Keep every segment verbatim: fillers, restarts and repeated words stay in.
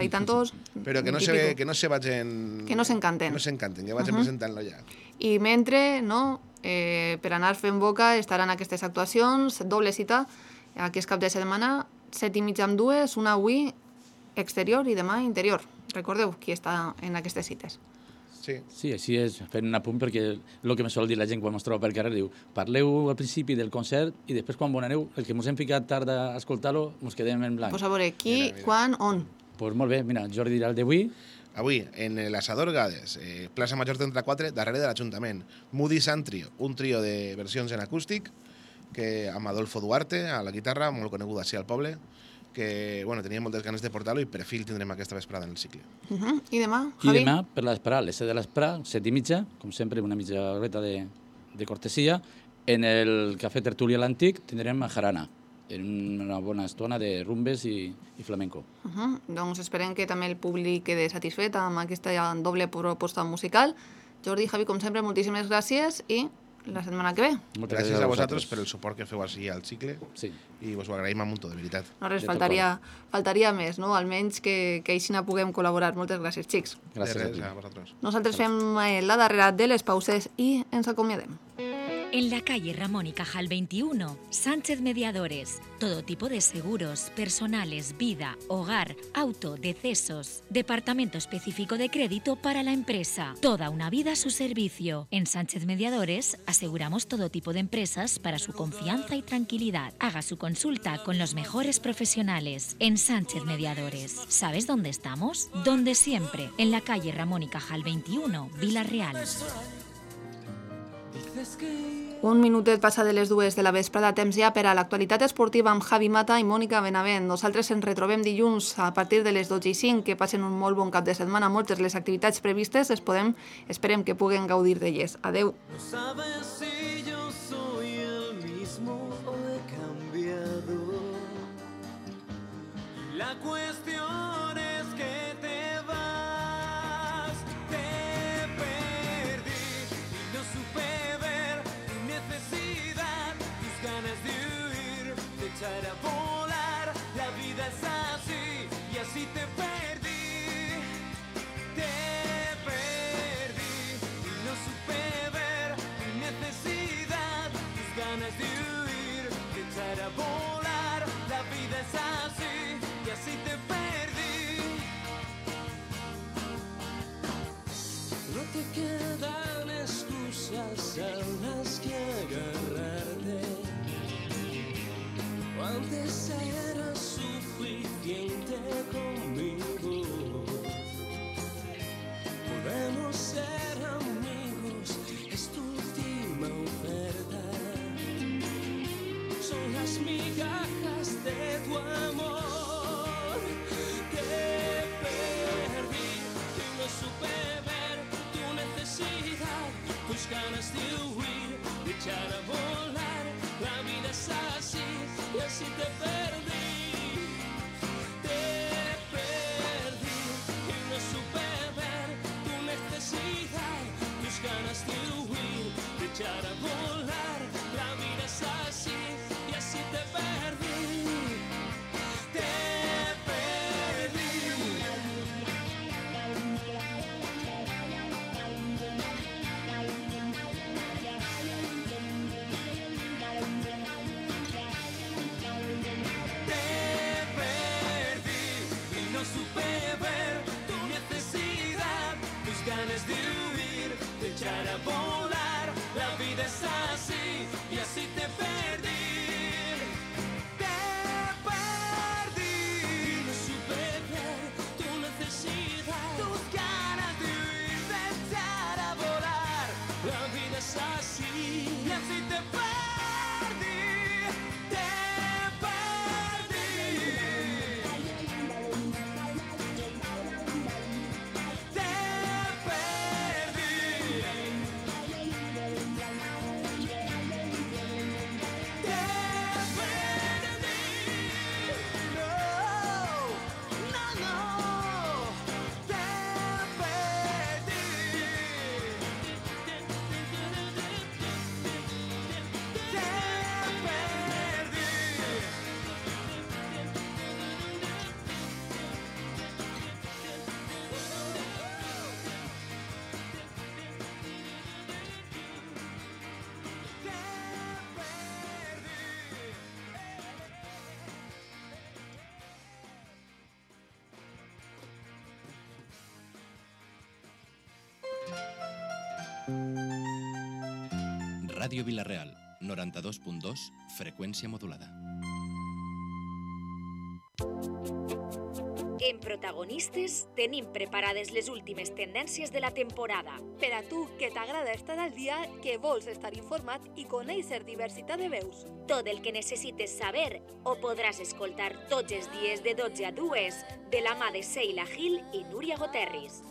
Hay tantos... Però que no, se, que no se vagin... Que no s'encanten. No s'encanten, que vagin uh -huh. presentant-lo ja. I mentre, no, eh, per anar fent boca estaran aquestes actuacions, doble cita, aquest cap de setmana, set i mitja amb dues, una avui exterior i demà interior. Recordeu qui està en aquestes cites. Sí. Sí, així és, fent un apunt, perquè el que me sol dir la gent quan ens troba pel carrer diu parleu al principi del concert i després quan bonaneu, el que ens hem ficat tard a escoltar-lo, ens quedem en blanc. Pues a veure, qui, mira, mira. quan, on? Pues molt bé, mira, Jordi dirà el d'avui. Avui, en l'Assador Gades, eh, plaça Major trenta-quatre, darrere de l'Ajuntament. Moody Sun Trio, un trio de versions en acústic, que amb Adolfo Duarte, a la guitarra, molt conegut així al poble, que bueno, tenia moltes ganes de portar-lo i per fi el tindrem aquesta vesprada en el cicle. Uh -huh. I demà, I Javi? demà, per l'esperar, les set de l'esperar, set i mitja, com sempre, una mitja horeta de, de cortesia. En el Cafè Tertúlia l'Antic tindrem a Jarana, en una bona estona de rumbes i, i flamenco. Uh -huh. Doncs esperem que també el públic quede satisfet amb aquesta doble proposta musical. Jordi, Javi, com sempre, moltíssimes gràcies i la setmana que ve. Moltes gràcies, gràcies a vosaltres per el suport que feu així al cicle sí. i us ho agraïm a muntó, de veritat. No res, faltaria, faltaria més, no? Almenys que, que així no puguem col·laborar. Moltes gràcies, xics. Gràcies de res, a, a vosaltres. Nosaltres fem la darrera de les pauses i ens acomiadem. En la calle Ramón y Cajal veintiuno, Sánchez Mediadores. Todo tipo de seguros, personales, vida, hogar, auto, decesos. Departamento específico de crédito para la empresa. Toda una vida a su servicio. En Sánchez Mediadores aseguramos todo tipo de empresas para su confianza y tranquilidad. Haga su consulta con los mejores profesionales. En Sánchez Mediadores. ¿Sabes dónde estamos? Donde siempre. En la calle Ramón y Cajal veintiuno, Vila Real. Un minutet passa de les dues de la vesprada, temps ja per a l'actualitat esportiva amb Javi Mata i Mònica Benavent. Nosaltres ens retrobem dilluns a partir de les dotze i cinc, que passen un molt bon cap de setmana. Moltes les activitats previstes, les podem, esperem que puguen gaudir d'elles. Adeu. No sabes si yo soy el mismo o he cambiado. La cuestión es que te vas, te perdí y no supe ver tu necesidad, tus ganas de huir, de echar a volar. La vida es así y así te perdí, te perdí y no supe ver tu necesidad, tus ganas de huir, de echar a volar. La vida es así y así te perdí. No te quedan excusas a las que agarrarte. Antes era suficiente conmigo. Podemos ser amigos, es tu última oferta. Son las migajas de tu amor. Te perdí y no supe ver tu necesidad, tus ganas de huir, de echar a volar. La vida es así y así te perdí. Te perdí y no supe ver tu necesidad, tus ganas de huir, de echar a volar. La vida es así y así te perdí. Te ganas de huir, de echar a volar. La vida es así y así te perdí. Te perdí. No supe ver tu necesidad, tus ganas de huir, de echar a volar. La vida es así y así te perdí. Ràdio Vila-real, noranta-dos punt dos, freqüència modulada. En Protagonistes tenim preparades les últimes tendències de la temporada. Per a tu, que t'agrada estar al dia, que vols estar informat i conèixer diversitat de veus. Tot el que necessites saber ho podràs escoltar tots els dies de dotze a dues de la mà de Seila Gil i Núria Goterris.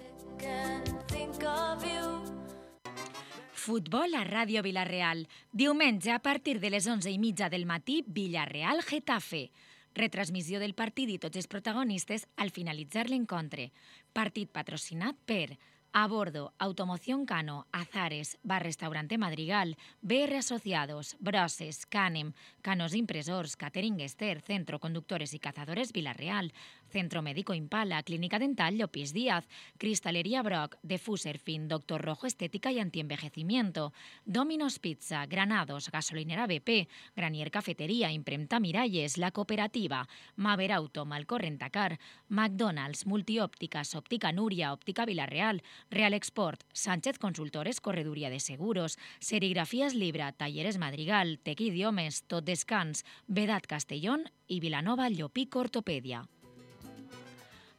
Futbol a Ràdio Vila-real. Diumenge a partir de les onze i mitja del matí, Villarreal-Getafe. Retransmissió del partit i tots els protagonistes al finalitzar l'encontre. Partit patrocinat per A Bordo, Automoción Cano, Azares, Bar Restaurante Madrigal, B R Asociados, Broses, Canem, Canos Impresors, Catering Ester, Centro Conductores y Cazadores Vila-real, Centro Médico Impala, Clínica Dental Llopis Díaz, Cristalería Brock, Defuser Fin, Doctor Rojo Estética y Antienvejecimiento, Domino's Pizza, Granados, Gasolinera B P, Granier Cafetería, Impremta Miralles, La Cooperativa, Maver Auto, Malcorrentacar, McDonald's, Multiópticas, Óptica Núria, Óptica Vila-real, Real Export, Sánchez Consultores, Correduría de Seguros, Serigrafías Libra, Talleres Madrigal, Tec Idiomes, Tot Descans, Vedat Castellón i Vilanova Llopic Ortopèdia.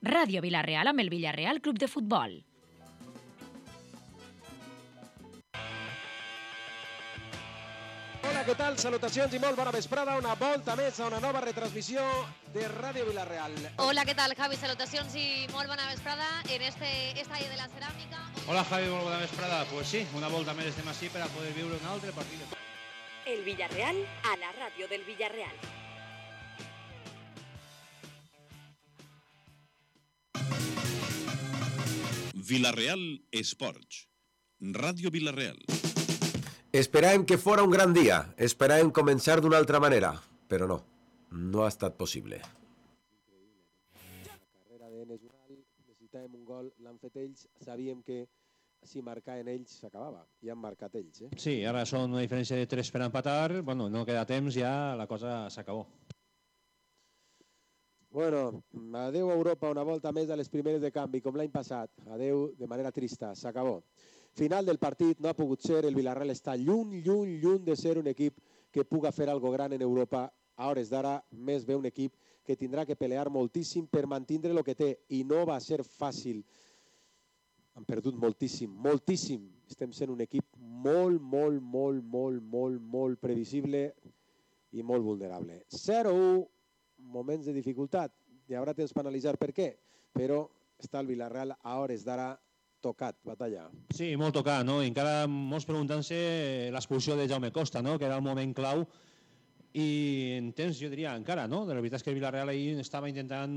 Ràdio Vila-real amb el Villarreal Club de Futbol. Hola, què tal? Salutacions i molt bona vesprada. Una volta més a una nova retransmissió de Ràdio Vila-real. Hola, què tal, Javi? Salutacions i molt bona vesprada en este estadi de la ceràmica. Hola, Javi, molt bona vesprada. Pues sí, una volta més estem així per a poder viure un altre partit. El Villarreal a la ràdio del Villarreal. Vila-real Esports. Ràdio Vila-real. Esperàvem que fora un gran dia. Esperàvem començar d'una altra manera. Però no, no ha estat possible. La carrera d'Enes Ural, necessitàvem un gol, l'han fet ells, sabíem que si marcaven ells s'acabava, i han marcat ells. Eh? Sí, ara són una diferència de tres per empatar, bueno, no queda temps, ja la cosa s'acabó. Bueno, adeu a Europa, una volta més a les primeres de canvi, com l'any passat. Adeu de manera trista, s'acabó. Final del partit, no ha pogut ser, el Villarreal està lluny, lluny, lluny de ser un equip que puga fer algo gran en Europa. A hores d'ara, més ve un equip que tindrà que pelear moltíssim per mantindre el que té, i no va ser fàcil. Han perdut moltíssim, moltíssim. Estem sent un equip molt, molt, molt, molt, molt, molt previsible i molt vulnerable. zero a u, moments de dificultat. Hi haurà temps per analitzar per què, però està el Villarreal a hores d'ara tocat, batalla. Sí, molt tocat, no? I encara molts preguntant-se l'expulsió de Jaume Costa, no? Que era el moment clau. I en temps, jo diria, encara, no? La veritat és que el Villarreal ahir estava intentant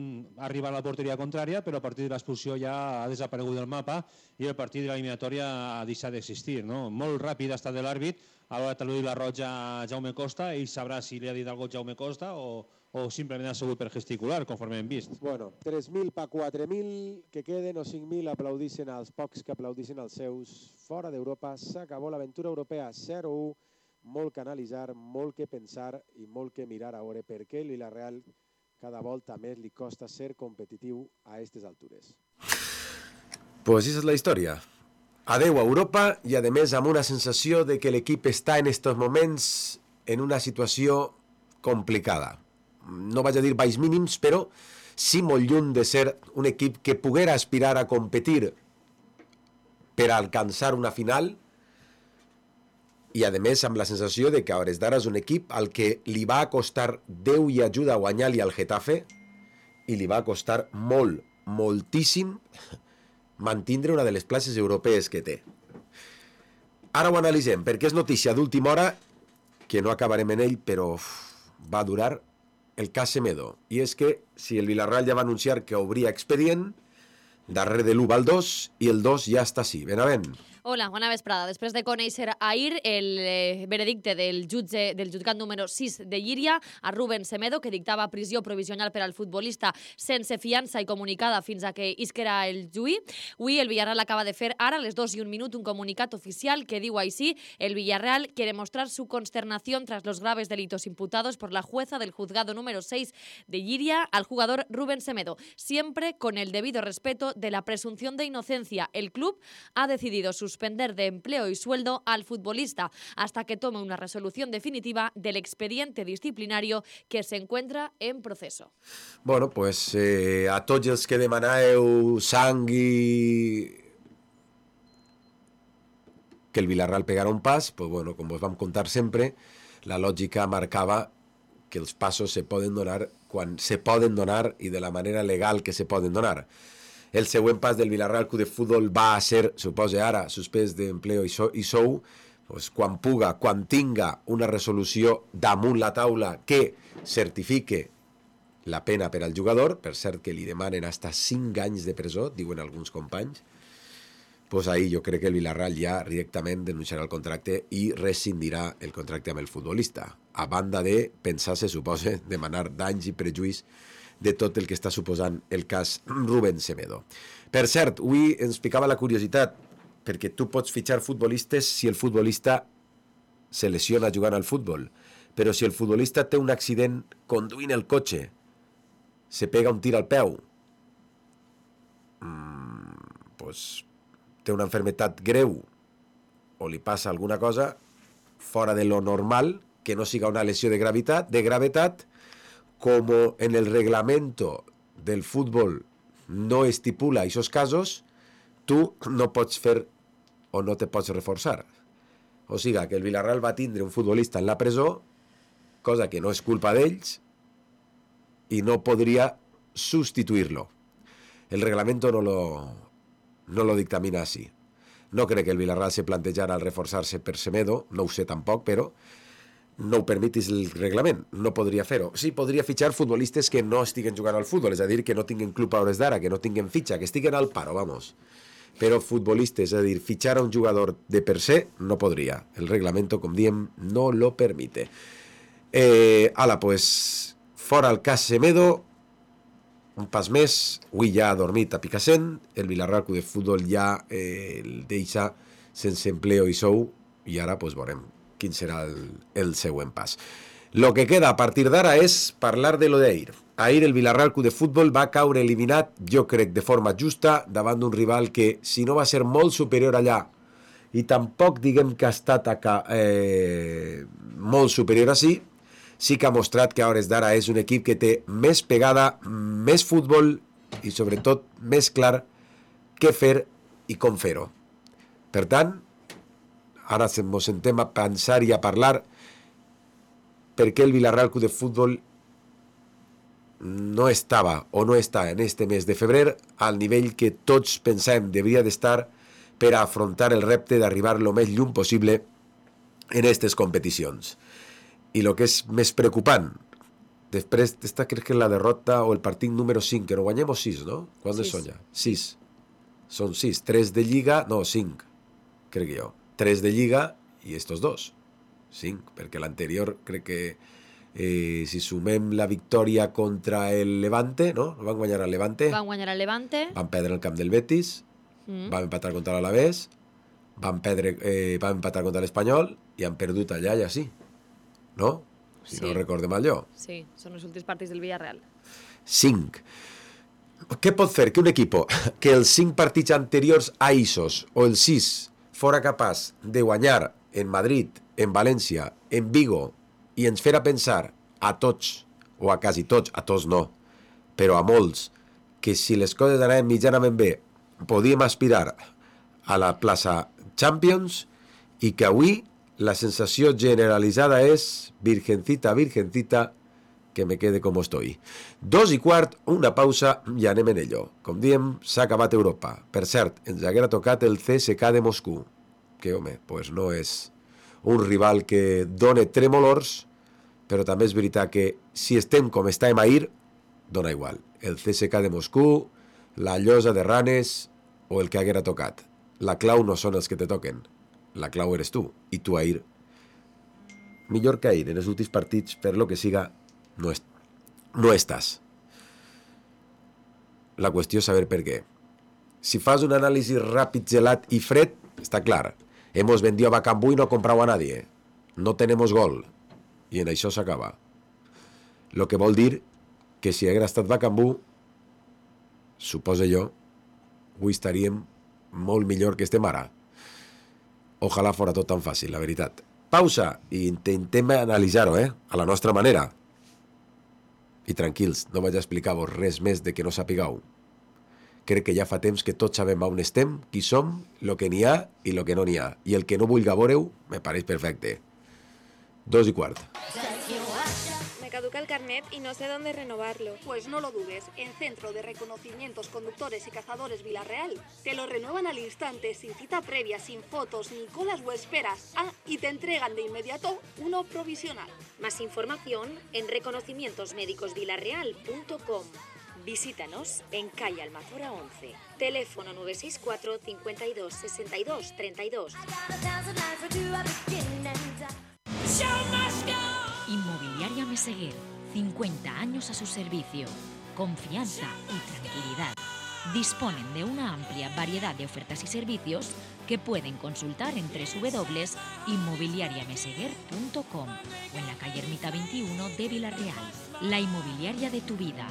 arribar a la porteria contrària, però a partir de l'expulsió ja ha desaparegut del mapa i el partit de l'eliminatòria ha deixat d'existir, no? Molt ràpid ha estat de l'àrbit, a l'hora de tal·luir la roja a Jaume Costa, ell sabrà si li ha dit alguna cosa Jaume Costa o, o simplement ha sigut per gesticular, conforme hem vist. Bueno, tres mil per quatre mil que queden o cinc mil aplaudissin als pocs que aplaudissin als seus. Fora d'Europa s'acabó l'aventura europea, zero a u. Molt que analitzar, molt que pensar i molt que mirar a veure per què el Villarreal cada volta més li costa ser competitiu a aquestes altures. Pues esa es la història. Adeu a Europa i, a més, amb una sensació de que l'equip està en estos moments en una situació complicada. No vaig a dir baix mínims, però sí molt lluny de ser un equip que poguera aspirar a competir per a alcançar una final i, a més, amb la sensació de que a hores d'ara és un equip al que li va costar Déu i ajuda a guanyar-li al Getafe i li va costar molt, moltíssim mantindre una de les places europees que té. Ara ho analitzem, perquè és notícia d'última hora, que no acabarem en ell, però uf, va durar el cas Semedo. I és que si el Villarreal ja va anunciar que obria expedient, darrere de l'u va el dos i el dos ja està així. Benavent. Hola, bona vesprada. Després de conèixer ahir el eh, veredicte del jutge del jutgat número sis de Llíria a Rubén Semedo, que dictava prisió provisional per al futbolista sense fiança i comunicada fins a que isquera el juí, avui el Villarreal acaba de fer ara, a les dos i un minut, un comunicat oficial que diu així: el Villarreal quiere mostrar su consternación tras los graves delitos imputados por la jueza del juzgado número seis de Llíria al jugador Rubén Semedo, siempre con el debido respeto de la presunción de inocencia. El club ha decidido sus suspender de empleo y sueldo al futbolista hasta que tome una resolución definitiva del expediente disciplinario que se encuentra en proceso. Bueno, pues eh, a tots els que demanàveu sang i que el Villarreal pegara un pas, pues bueno, com us vam contar sempre, la lògica marcava que els passos se poden donar quan se poden donar i de la manera legal que se poden donar. El següent pas del Villarreal Club de Futbol va a ser, suposa ara, suspès d'empleo i, so, i sou, pues, quan puga, quan tinga una resolució damunt la taula que certifique la pena per al jugador, per cert que li demanen hasta cinc anys de presó, diuen alguns companys, pues ahí jo crec que el Villarreal ja directament denunciarà el contracte i rescindirà el contracte amb el futbolista, a banda de pensar, se suposa, demanar danys i prejuís de tot el que està suposant el cas Rubén Semedo. Per cert, avui ens picava la curiositat, perquè tu pots fitxar futbolistes si el futbolista se lesiona jugant al futbol, però si el futbolista té un accident conduint el cotxe, se pega un tir al peu, mmm, pues, té una enfermetat greu o li passa alguna cosa fora de lo normal, que no siga una lesió de gravetat, de gravetat, como en el reglamento del fútbol no estipula esos casos, tú no pots fer o no te pots reforçar. O sigui que el Villarreal va tindre un futbolista en la presó, cosa que no és culpa d'ells, i no podria sustituir-lo. El reglamento no lo, no lo dictamina así. No crec que el Villarreal se plantejara al reforçar-se per Semedo, no ho sé tampoc, però no ho permetis el reglament, no podria fer-ho. Sí, podria fitxar futbolistes que no estiguen jugant al futbol, és a dir, que no tinguin club a hores d'ara, que no tinguin fitxa, que estiguen al paro, vamos. Però futbolistes, és a dir, fitxar a un jugador de per se, no podria. El reglamento, com diem, no lo permite. Eh, ala, pues, fora el cas Semedo, un pas més, avui ja ha dormit a Picassent, el Villarreal Club de Futbol ja eh, el deixa sense empleo i sou, i ara, pues, veurem quin serà el, el següent pas. Lo que queda a partir d'ara és parlar de lo d'ahir. Ahir el Villarreal Club de Futbol va caure eliminat, jo crec, de forma justa, davant d'un rival que, si no va ser molt superior allà, i tampoc diguem que ha estat acá, eh, molt superior així, sí que ha mostrat que a hores d'ara és un equip que té més pegada, més futbol i sobretot més clar què fer i com fer-ho. Per tant, ara ens sentem a pensar i a parlar per què el Villarreal Club de Futbol no estava o no està en este mes de febrer al nivell que tots pensem devia d'estar per a afrontar el repte d'arribar el més lluny possible en aquestes competicions. I el que és més preocupant, després d'esta crec que la derrota o el partit número cinc, que no guanyem o sis, no? Quants són ja? sis. Són sis. tres de Lliga, no, cinc, crec que jo. tres de Lliga i estos dos. cinc, perquè l'anterior crec que eh, si sumem la victòria contra el Levante, no? Van guanyar al Levante. Van guanyar al Levante. Van perdre el camp del Betis. Mm. Van empatar contra l'Alavés. Van, perdre, eh, van empatar contra l'Espanyol i han perdut allà i així. No? Si sí. No recorde mal jo. Sí, són els últims partits del Villarreal. cinc. Què pot fer que un equip que els cinc partits anteriors a Isos o els sis fora capaç de guanyar en Madrid, en València, en Vigo, i ens fer a pensar a tots, o a quasi tots, a tots no, però a molts, que si les coses anaven mitjanament bé, podíem aspirar a la plaça Champions, i que avui la sensació generalitzada és virgencita, virgencita, que me quede com estoy. Dos i quart, una pausa i anem en ello. Com diem, s'ha acabat Europa. Per cert, ens haguera tocat el C S K de Moscou, que, home, pues no és un rival que dona tremolors, però també és veritat que si estem com estàvem ahir, dona igual. El C S K de Moscou, la Llosa de Ranes o el que haguera tocat. La clau no són els que te toquen. La clau eres tu. I tu, Ahir, millor que Ahir, en els últims partits, per lo que siga, no, est no estàs. La qüestió és saber per què. Si fas un anàlisi ràpid, gelat i fred, està clar. Hemos vendido a Bacambú y no comprado a nadie. No tenemos gol. I en això s'acaba. Lo que vol dir que si hagués estat Bacambú, suposo jo, avui estaríem molt millor que estem ara. Ojalà fora tot tan fàcil, la veritat. Pausa i intentem analitzar-ho, eh? A la nostra manera. I tranquils, no vaig a explicar-vos res més de que no sapigueu. Crec que ja fa temps que tots sabem on estem, qui som, lo que n'hi ha i lo que no n'hi ha. I el que no vulgui veure-ho, me pareix perfecte. Dos y cuarto. Me caduca el carnet y no sé dónde renovarlo. Pues no lo dudes, en Centro de Reconocimientos Conductores y Cazadores Villarreal te lo renuevan al instante, sin cita previa, sin fotos, ni colas o esperas. Ah, y te entregan de inmediato uno provisional. Más información en reconocimientos médicos villarreal punto com. Visítanos en calle Almazora once. Teléfono nueve seis cuatro, cincuenta y dos, sesenta y dos, treinta y dos. Inmobiliaria Meseguer, cincuenta años a su servicio. Confianza y tranquilidad. Disponen de una amplia variedad de ofertas y servicios que pueden consultar en doble u doble u doble u punto inmobiliaria meseguer punto com o en la calle Ermita veintiuno de Villarreal. La inmobiliaria de tu vida.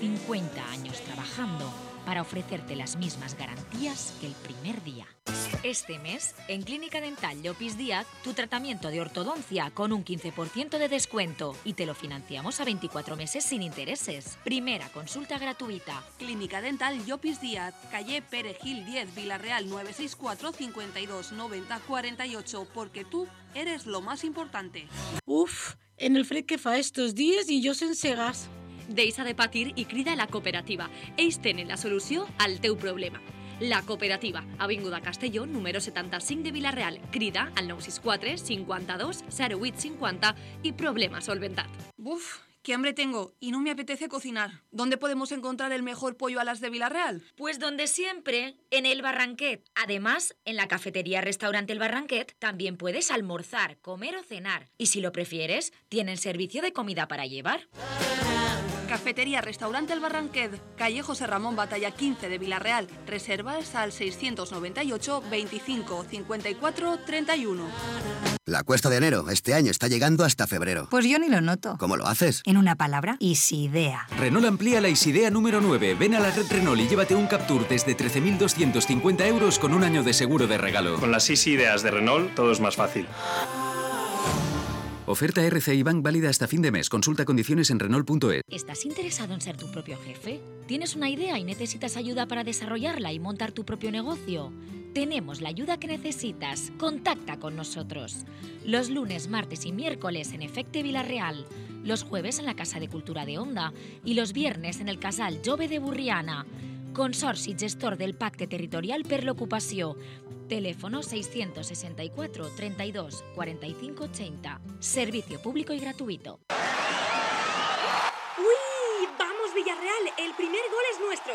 cincuenta años trabajando para ofrecerte las mismas garantías que el primer día. Este mes, en Clínica Dental Llopis Díaz, tu tratamiento de ortodoncia con un quince por ciento de descuento y te lo financiamos a veinticuatro meses sin intereses. Primera consulta gratuita. Clínica Dental Llopis Díaz, calle Perejil diez, Villarreal nueve seis cuatro, cincuenta y dos, noventa, cuarenta y ocho, porque tú eres lo más importante. Uf, en el fred que fa estos días i jo sense gas. Deixa de patir i crida a la cooperativa. Ells tenen la solució al teu problema. La cooperativa, Avinguda Castelló, número setanta-cinc de Villarreal. Crida al nou sis quatre, cinquanta-dos, zero vuit cinquanta y problema solventat. Uf, qué hambre tengo y no me apetece cocinar. ¿Dónde podemos encontrar el mejor pollo a las de Villarreal? Pues donde siempre, en el Barranquet. Además, en la cafetería Restaurante El Barranquet también puedes almorzar, comer o cenar. Y si lo prefieres, tienen servicio de comida para llevar. Cafetería Restaurante El Barranquet, calle José Ramón Batalla quince de Villarreal. Reservas al seiscientos noventa y ocho, veinticinco, cincuenta y cuatro, treinta y uno. La cuesta de enero este año está llegando hasta febrero. Pues yo ni lo noto. ¿Cómo lo haces? En una palabra, Isidea. Renault amplía la Isidea número nueve. Ven a la red Renault y llévate un Captur desde trece mil doscientos cincuenta euros con un año de seguro de regalo. Con las Isideas de Renault todo es más fácil. Oferta R C I Bank válida hasta fin de mes. Consulta condiciones en Renault punto es. ¿Estás interesado en ser tu propio jefe? ¿Tienes una idea y necesitas ayuda para desarrollarla y montar tu propio negocio? Tenemos la ayuda que necesitas. Contacta con nosotros. Los lunes, martes y miércoles en Efecte Villarreal. Los jueves en la Casa de Cultura de Onda. Y los viernes en el Casal Jove de Burriana. Consorci gestor del Pacte Territorial per l'Ocupació. Teléfono seiscientos sesenta y cuatro, treinta y dos, cuarenta y cinco, ochenta. Servicio público y gratuito. ¡Uy! ¡Vamos, Villarreal! El primer gol es nuestro.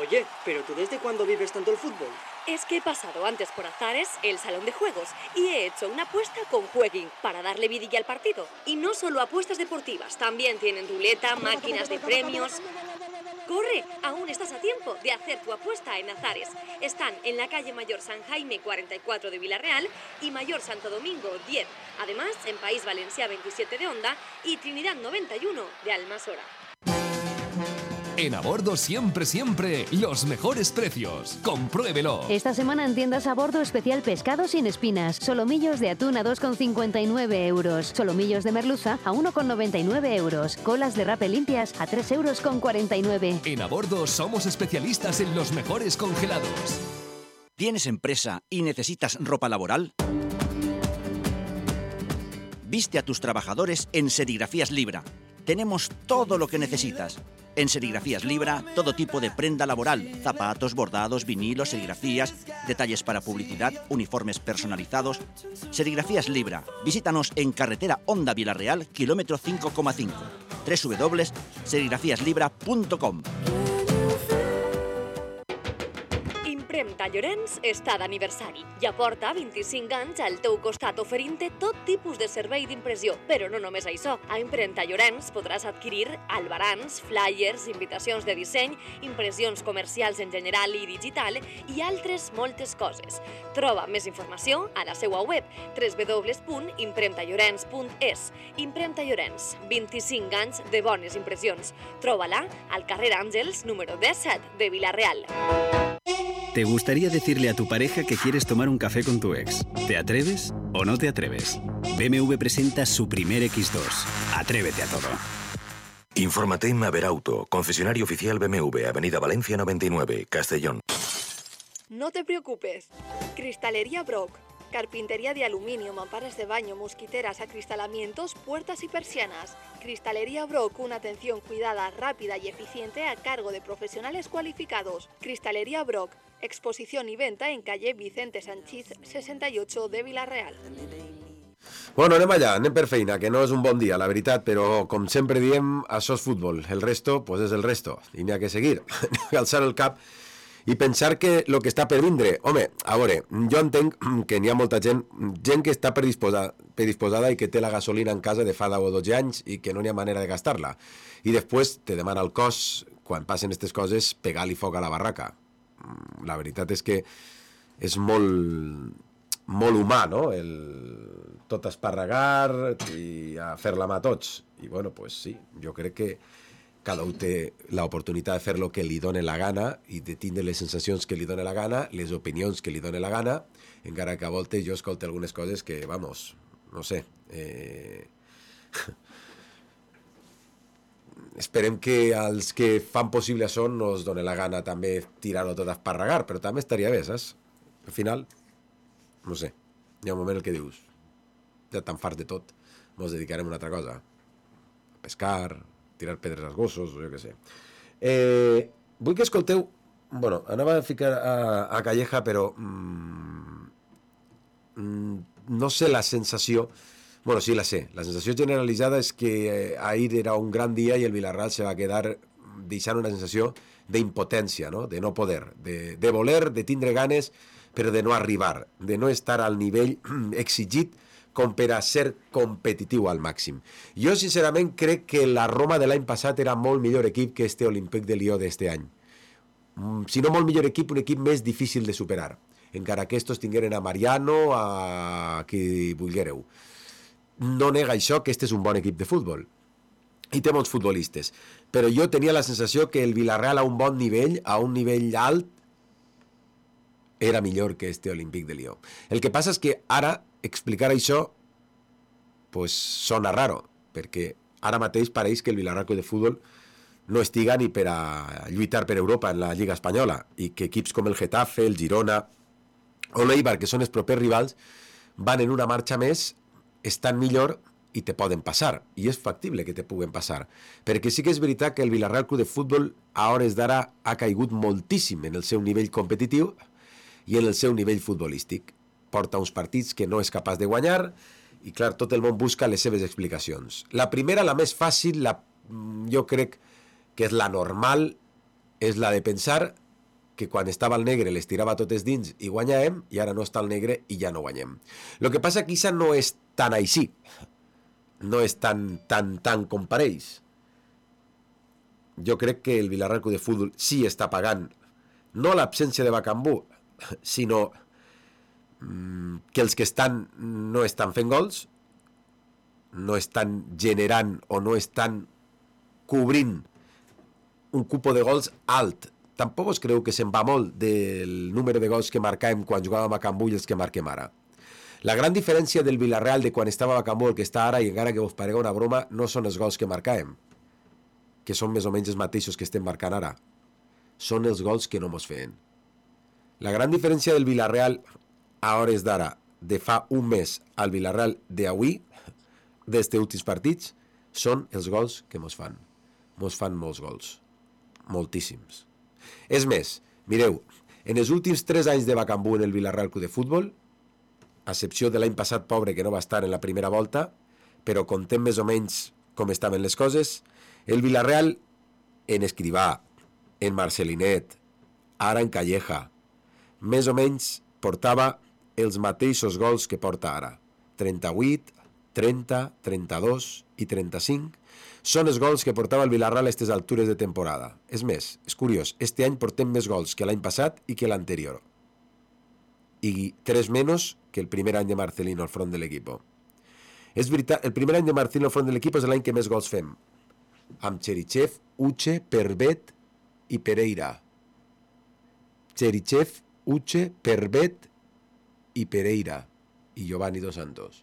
Oye, ¿pero tú desde cuándo vives tanto el fútbol? Es que he pasado antes por Azares, el salón de juegos, y he hecho una apuesta con Jueguin para darle vidilla al partido. Y no solo apuestas deportivas, también tienen ruleta, máquinas de premios. ¡Corre! Aún estás a tiempo de hacer tu apuesta en Azares. Están en la calle Mayor San Jaime cuarenta y cuatro de Villarreal y Mayor Santo Domingo diez. Además, en País Valencià veintisiete de Onda y Trinidad noventa y uno de Almasora. En A Bordo siempre, siempre, los mejores precios. Compruébelo. Esta semana en tiendas A Bordo especial pescado sin espinas. Solomillos de atún a dos con cincuenta y nueve euros. Solomillos de merluza a uno con noventa y nueve euros. Colas de rape limpias a tres euros con cuarenta y nueve. En A Bordo somos especialistas en los mejores congelados. ¿Tienes empresa y necesitas ropa laboral? Viste a tus trabajadores en Serigrafías Libra. Tenemos todo lo que necesitas. En Serigrafías Libra, todo tipo de prenda laboral, zapatos, bordados, vinilos, serigrafías, detalles para publicidad, uniformes personalizados. Serigrafías Libra. Visítanos en carretera Onda Villarreal, kilómetro cinco coma cinco. doble u doble u doble u punto serigrafías libra punto com. Impremta Llorenç està d'aniversari i aporta vint-i-cinc anys al teu costat oferint-te tot tipus de servei d'impressió. Però no només això. A Impremta Llorenç podràs adquirir albarans, flyers, invitacions de disseny, impressions comercials en general i digital i altres moltes coses. Troba més informació a la seva web w w w punt impremta llorenç punt es. Impremta Llorenç, vint-i-cinc anys de bones impressions. Troba-la al carrer Àngels, número disset de Vila-real. ¿Te gustaría decirle a tu pareja que quieres tomar un café con tu ex? ¿Te atreves o no te atreves? B M W presenta su primer equis dos. Atrévete a todo. Infórmate en Maverauto, concesionario oficial B M W, Avenida Valencia noventa y nueve, Castellón. No te preocupes. Cristalería Brock. Carpintería de aluminio, mamparas de baño, mosquiteras, acristalamientos, puertas y persianas. Cristalería Brock, una atención cuidada, rápida y eficiente a cargo de profesionales cualificados. Cristalería Brock, exposición y venta en calle Vicente Sanchís sesenta y ocho de Vila-real. Bueno, anem allà, anem per feina, que no és un bon dia, la veritat, però com sempre diem, això és futbol. El resto, pues és el resto. I n'hi ha que seguir, alçar el cap i pensar que el que està per vindre... Home, a veure, jo entenc que n'hi ha molta gent, gent que està predisposada, predisposada i que té la gasolina en casa de fa deu o dotze anys i que no n'hi ha manera de gastar-la. I després te demana el cos, quan passen aquestes coses, pegar-li foc a la barraca. La veritat és que és molt, molt humà, no? El tot esparragar i a fer la mà a tots. I bueno, pues sí, jo crec que cada un té l'oportunitat de fer el que li dóna la gana i de tindre les sensacions que li dóna la gana, les opinions que li dóna la gana, encara que a voltes jo escolto algunes coses que, vamos, no sé... Eh... Esperem que als que fan possible això no es doni la gana també tirar-ho tot a esparragar, però també estaria bé, saps? Al final, no sé, hi ha un moment en què dius, ja tan fart de tot, mos dedicarem a una altra cosa. A pescar, tirar pedres als gossos, o jo què sé. Eh, vull que escolteu... Bueno, anava a ficar a, a Calleja, però... Mm, mm, no sé la sensació... Bueno, sí la sé. La sensació generalitzada és que eh, ahir era un gran dia i el Villarreal se va quedar deixant una sensació d'impotència, no? De no poder, de, de voler, de tindre ganes, però de no arribar, de no estar al nivell exigit com per a ser competitiu al màxim. Jo, sincerament, crec que la Roma de l'any passat era molt millor equip que este Olympique de Lió d'este any. Si no molt millor equip, un equip més difícil de superar, encara que estos tingueren a Mariano, a qui vulguereu. No nega això que este és un bon equip de futbol i té molts futbolistes, però jo tenia la sensació que el Villarreal a un bon nivell, a un nivell alt, era millor que este Olympique de Lió. El que passa és que ara explicar això pues sona raro, perquè ara mateix pareix que el Villarreal de futbol no estiga ni per a lluitar per Europa en la Lliga Espanyola i que equips com el Getafe, el Girona o l'Eibar, que són els propers rivals, van en una marxa més, estan millor i te poden passar, i és factible que te puguen passar, perquè sí que és veritat que el Villarreal Club de Futbol a hores d'ara ha caigut moltíssim en el seu nivell competitiu i en el seu nivell futbolístic. Porta uns partits que no és capaç de guanyar i, clar, tot el món busca les seves explicacions. La primera, la més fàcil, la, jo crec que és la normal, és la de pensar que quan estava el negre les tirava totes dins i guanyàvem, i ara no està el negre i ja no guanyem. El que passa que això no és tan així, no és tan, tan, tan com pareix. Jo crec que el Villarreal Club de Futbol sí està pagant, no l'absència de Bacambú, sinó que els que estan no estan fent gols, no estan generant o no estan cobrint un cupo de gols alt. Tampoc us creu que se'n va molt del número de gols que marcàvem quan jugàvem a Cambú i els que marquem ara. La gran diferència del Villarreal de quan estava a Cambú el que està ara, i encara que us parega una broma, no són els gols que marcàvem, que són més o menys els mateixos que estem marcant ara. Són els gols que no mos feien. La gran diferència del Villarreal a hores d'ara, de fa un mes al Villarreal d'avui, d'este últims partits, són els gols que mos fan. Mos fan molts gols. Moltíssims. És més, mireu, en els últims tres anys de Bacambú en el Villarreal Club de Futbol, a excepció de l'any passat pobre que no va estar en la primera volta, però contem més o menys com estaven les coses, el Villarreal en Escrivà, en Marcelinet, ara en Calleja, més o menys portava els mateixos gols que porta ara. trenta-vuit, trenta, trenta-dos i trenta-cinc són els gols que portava el Villarreal a aquestes altures de temporada. És més, és curiós, este any portem més gols que l'any passat i que l'anterior. I tres menys que el primer any de Marcelino al front de l'equip. És veritat, el primer any de Marcelino al front de l'equip és l'any que més gols fem. Amb Cherichev, Uche, Pervet i Pereira. Cherichev, Uche, Pervet i Pereira i Giovanni Dos Santos.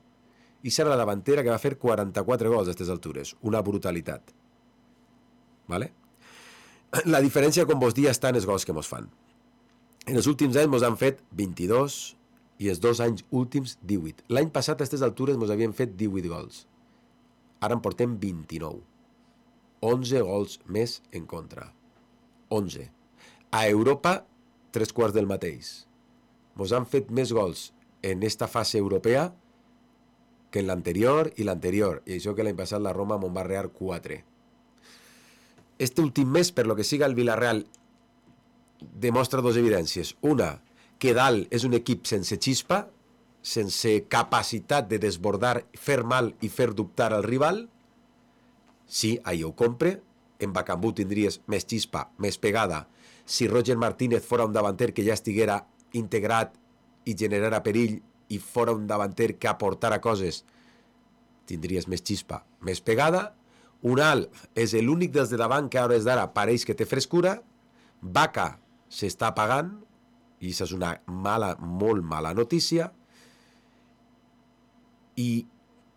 I serà la davantera que va fer quaranta-quatre gols a aquestes altures. Una brutalitat. Vale? La diferència, com vos dia, està en els gols que mos fan. En els últims anys mos han fet vint-i-dos i els dos anys últims divuit. L'any passat a aquestes altures mos havien fet divuit gols. Ara en portem vint-i-nou. onze gols més en contra. onze. A Europa, tres quarts del mateix. Mos han fet més gols en esta fase europea que en l'anterior i l'anterior. I això que l'any passat la Roma me'n va rear quatre. Este últim mes, per lo que siga el Villarreal, demostra dues evidències. Una, que dalt és un equip sense xispa, sense capacitat de desbordar, fer mal i fer dubtar al rival. Sí, ahí ho compre. En Bacambú tindries més xispa, més pegada. Si Roger Martínez fora un davanter que ja estiguera integrat i generara perill i fora un davanter que aportara coses, tindries més xispa, més pegada. Un alt és l'únic dels de davant que a hores d'ara pareix que té frescura. Vaca s'està apagant i això és una mala, molt mala notícia. I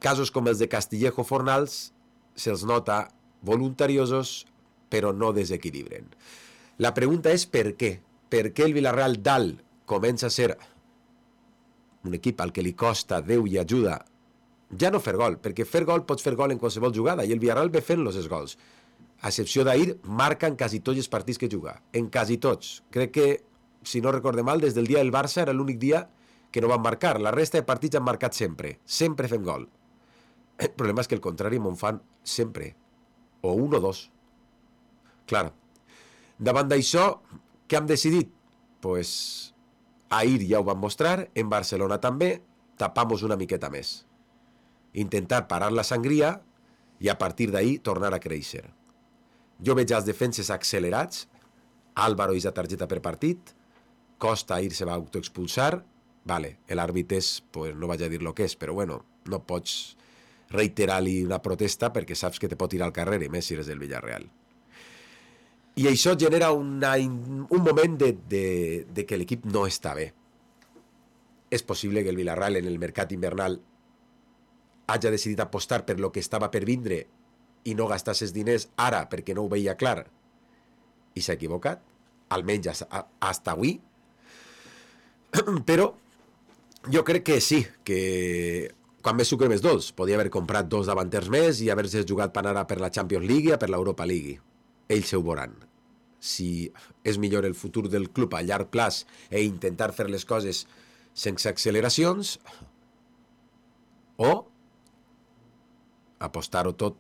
casos com els de Castillejo Fornals se'ls nota voluntariosos però no desequilibren. La pregunta és per què? Per què el Villarreal dalt comença a ser un equip al que li costa Déu i ajuda ja no fer gol, perquè fer gol pots fer gol en qualsevol jugada, i el Villarreal ve fent-los els gols. A excepció d'ahir, marca en quasi tots els partits que juga. En quasi tots. Crec que, si no recorde mal, des del dia del Barça era l'únic dia que no van marcar. La resta de partits han marcat sempre. Sempre fem gol. El problema és que el contrari me'n fan sempre. O un o dos. Clar. Davant d'això, què hem decidit? Pues, ahir ja ho vam mostrar, en Barcelona també, tapamos una miqueta més. Intentar parar la sangria i a partir d'ahir tornar a créixer. Jo veig els defenses accelerats, Álvaro és la targeta per partit, Costa ahir se va autoexpulsar, vale, l'àrbit és, pues no vaig a dir lo que és, però bueno, no pots reiterar-li una protesta perquè saps que te pot ir al carrer, i més si eres del Villarreal. I això genera una, un moment de, de, de que l'equip no està bé. És possible que el Villarreal en el mercat invernal hagi decidit apostar per lo que estava per vindre i no gastar els diners ara perquè no ho veia clar i s'ha equivocat, almenys hasta avui. Però jo crec que sí, que quan més sucre més dolç, podia haver comprat dos davanters més i haver-se jugat per anar per la Champions League i per l'Europa League. Ells ho veuran. Si és millor el futur del club a llarg plaç i intentar fer les coses sense acceleracions, o apostar-ho tot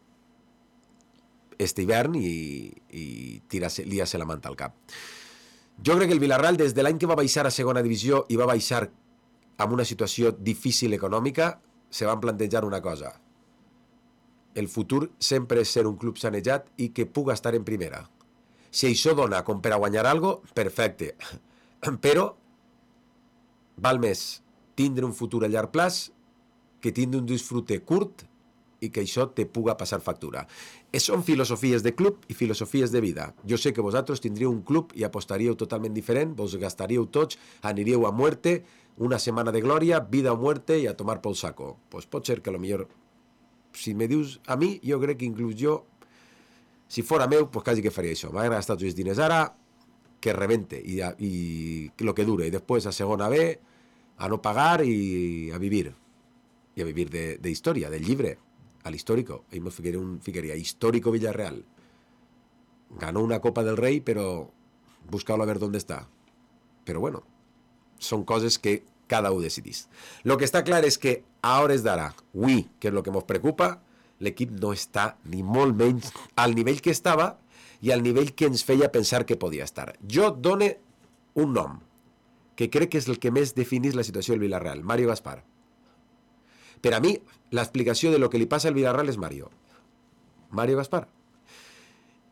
este hivern i, i liar-se la manta al cap. Jo crec que el Villarreal, des de l'any que va baixar a segona divisió i va baixar amb una situació difícil econòmica, se van plantejar una cosa. El futur sempre és ser un club sanejat i que puga estar en primera. Si això dona com per a guanyar alguna cosa, perfecte. Però val més tindre un futur a llarg plaç que tindre un disfrute curt i que això te puga passar factura. Són filosofies de club i filosofies de vida. Jo sé que vosaltres tindríeu un club i apostaríeu totalment diferent, vos gastaríeu tots, aniríeu a muerte, una setmana de glòria, vida o muerte i a tomar pel saco. Pues pot ser que a lo millor, si me dius a mi, jo crec que inclús jo, si fora meu, pues quasi que faria això. M'ha gastat els diners ara, que rebente i, a, i lo que dure. I després a segona B, a no pagar i a vivir. I a vivir de, de història, del llibre. Al histórico, ahí me ficaría un ficaría histórico Villarreal. Ganó una Copa del Rey, pero buscalo a ver dónde está. Pero bueno, son cosas que cada uno decidís. Lo que está clar és que a hores d'ara, avui, que és el que ens preocupa, l'equip no està ni molt menys al nivell que estava i al nivell que ens feia pensar que podia estar. Jo done un nom, que crec que és el que més definís la situació del Villarreal, Mario Gaspar. Per a mi, l'explicació de lo que li passa al Villarreal és Mario. Mario Gaspar.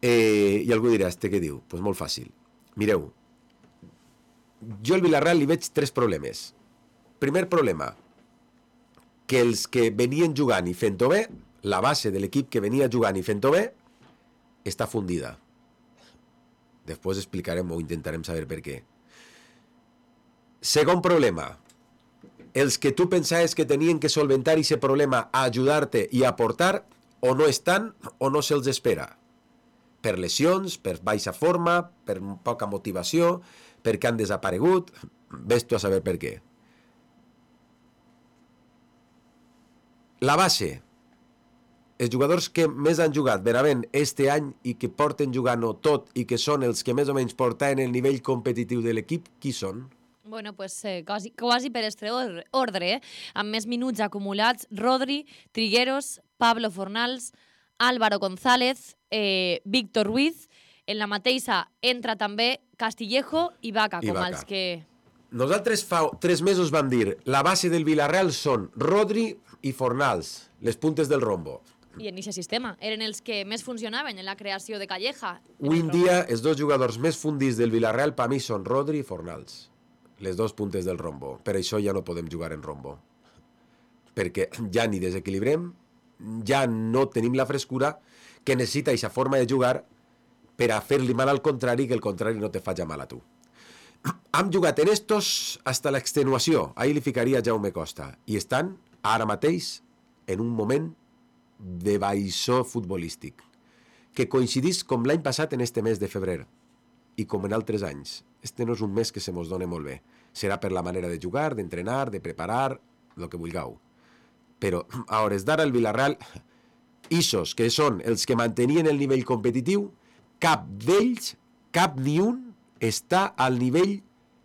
Eh, I algú dirà, este què diu? Doncs pues molt fàcil. Mireu, jo al Villarreal li veig tres problemes. Primer problema, que els que venien jugant i fent-ho bé, la base de l'equip que venia jugant i fent-ho bé, està fundida. Després explicarem o intentarem saber per què. Segon problema, els que tu pensaves que tenien que solventar aquest problema a ajudar-te i a aportar, o no estan o no se'ls espera. Per lesions, per baixa forma, per poca motivació, perquè han desaparegut, ves tu a saber per què. La base, els jugadors que més han jugat Benavent este any i que porten jugant-ho tot i que són els que més o menys portaven el nivell competitiu de l'equip, qui són? Bueno, pues, eh, quasi, quasi per este ordre, eh? Amb més minuts acumulats, Rodri, Trigueros, Pablo Fornals, Álvaro González, eh, Víctor Ruiz, en la mateixa entra també Castillejo i Vaca, com els que... Nosaltres fa tres mesos vam dir la base del Villarreal són Rodri i Fornals, les puntes del rombo. I en aquest sistema eren els que més funcionaven en la creació de Calleja. Avui en dia, els dos jugadors més fundits del Villarreal per mi són Rodri i Fornals. Les dos puntes del rombo. Per això ja no podem jugar en rombo. Perquè ja ni desequilibrem, ja no tenim la frescura que necessita aquesta forma de jugar per a fer-li mal al contrari, que el contrari no te faci mal a tu. Hem jugat en estos hasta l'extenuació. Ahir li ficaria Jaume Costa. I estan, ara mateix, en un moment de baixó futbolístic, que coincidís com l'any passat en este mes de febrer i com en altres anys. Este no és un mes que se mos dona molt bé. Serà per la manera de jugar, d'entrenar, de preparar, el que vulgueu. Però a hores d'ara el Villarreal, ixos que són els que mantenien el nivell competitiu, cap d'ells, cap ni un, està al nivell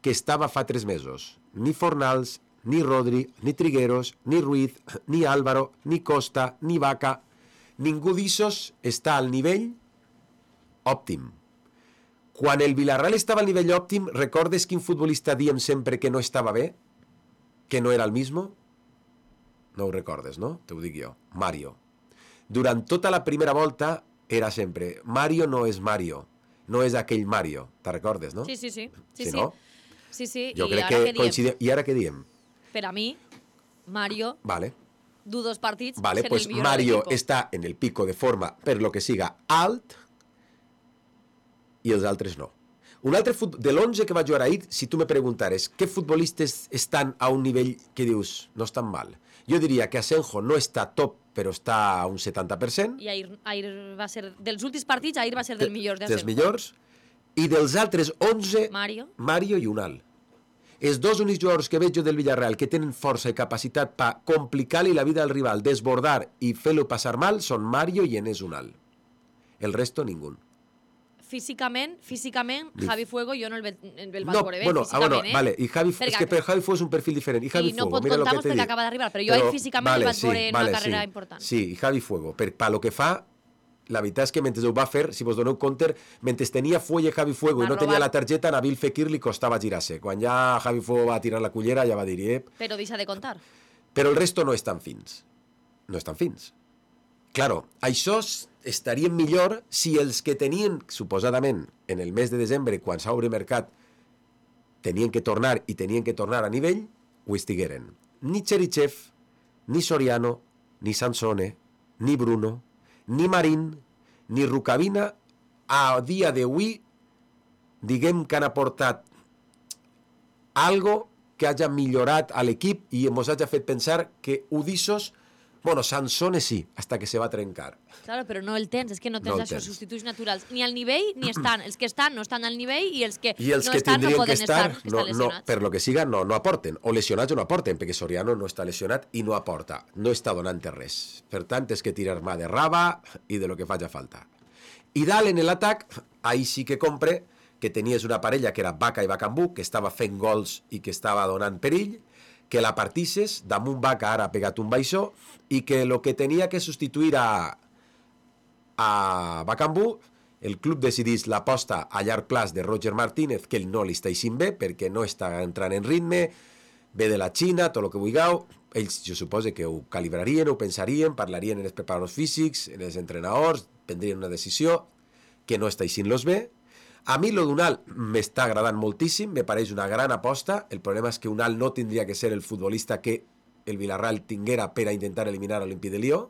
que estava fa tres mesos. Ni Fornals, ni Rodri, ni Trigueros, ni Ruiz, ni Álvaro, ni Costa, ni Vaca. Ningú d'ixos està al nivell òptim. Quan el Villarreal estava al nivell òptim, recordes quin futbolista diem sempre que no estava bé? Que no era el mismo? No ho recordes, no? Te ho dic jo. Mario. Durant tota la primera volta era sempre Mario no és Mario, no és aquell Mario. Te recordes, no? Sí, sí, sí. sí, sí. sí. No? sí, sí. Jo I crec ara que diem? coincidim. I ara què diem? Per a mi, Mario, Vale. du dos partits, Vale, sent pues el millor Mario de l'equipo. està en el pico de forma, per lo que siga, alt, i els altres no. Un altre fut... De l'onze que va jugar ahir, si tu me preguntares què futbolistes estan a un nivell que dius no estan mal, jo diria que Asenjo no està top, però està a un setanta per cent. I ahir, ahir va ser, dels últims partits, ahir va ser del millor de Dels millors. I dels altres onze, Mario. Mario i Unal. Els dos únics jugadors que veig jo del Villarreal que tenen força i capacitat per complicar-li la vida al rival, desbordar i fer-lo passar mal, són Mario i Enes Unal. El resto, ningú. Físicament, físicament, Dif- Javi Fuego jo no el, ve, el vaig No, veure bé, bueno, ah, físicament, bueno, eh? vale, y Javi, Perquè- es que per Javi Fuego és un perfil diferent. I Javi I no Fuego, pot mira lo que comptar-nos te perquè dic. acaba d'arribar, però jo Però, ahir físicament vale, el vaig sí, veure en vale, una carrera sí, important. Sí, i Javi Fuego, per, per lo que fa, la veritat és que mentre ho va fer, si vos doneu compte, mentre tenia fuelle Javi Fuego Va i no robar. tenia la targeta, a Nabil Fekir li costava girar-se. Quan ja Javi Fuego va tirar la cullera, ja va dir, eh, Però deixa de contar. però el resto no estan fins. No estan fins. Claro, això estaria millor si els que tenien, suposadament, en el mes de desembre, quan s'obre mercat, tenien que tornar i tenien que tornar a nivell, ho estigueren. Ni Cherichev, ni Soriano, ni Sansone, ni Bruno, ni Marín, ni Rukavina, a dia d'avui, diguem que han aportat algo que hagi millorat a l'equip i ens hagi fet pensar que Udissos, bueno, Sansone sí, hasta que se va trencar. Claro, però no el tens, és que no tens No el això, tens. substituts naturals. Ni al nivell ni estan. Els que estan no estan al nivell i els que I els no que estan no tindrien que poden estar, estar, no, estan no, lesionats. per lo que siga, no, no aporten. O lesionats o no aporten, perquè Soriano no està lesionat i no aporta. No està donant res. Per tant, és que tirar mà de raba i de lo que faci falta. I dalt en l'atac, ahí sí que compre que tenies una parella que era Vaca i Bacambú, que estava fent gols i que estava donant perill, que la partisses, damunt Vaca ara ha pegat un baixó, i que el que tenia que substituir a, a Bacambú el club decidís l'aposta a llarg plaç de Roger Martínez, que ell no li està eixint bé, perquè no està entrant en ritme, ve de la Xina, tot el que vulgueu, ells jo suposo que ho calibrarien, ho pensarien, parlarien en els preparadors físics, en els entrenadors, prendrien una decisió que no està eixint-los bé. A mi lo d'Unal m'està agradant moltíssim, me pareix una gran aposta, el problema és que Unal no tindria que ser el futbolista que el Villarreal tinguera per a intentar eliminar l'Olympique de Lió,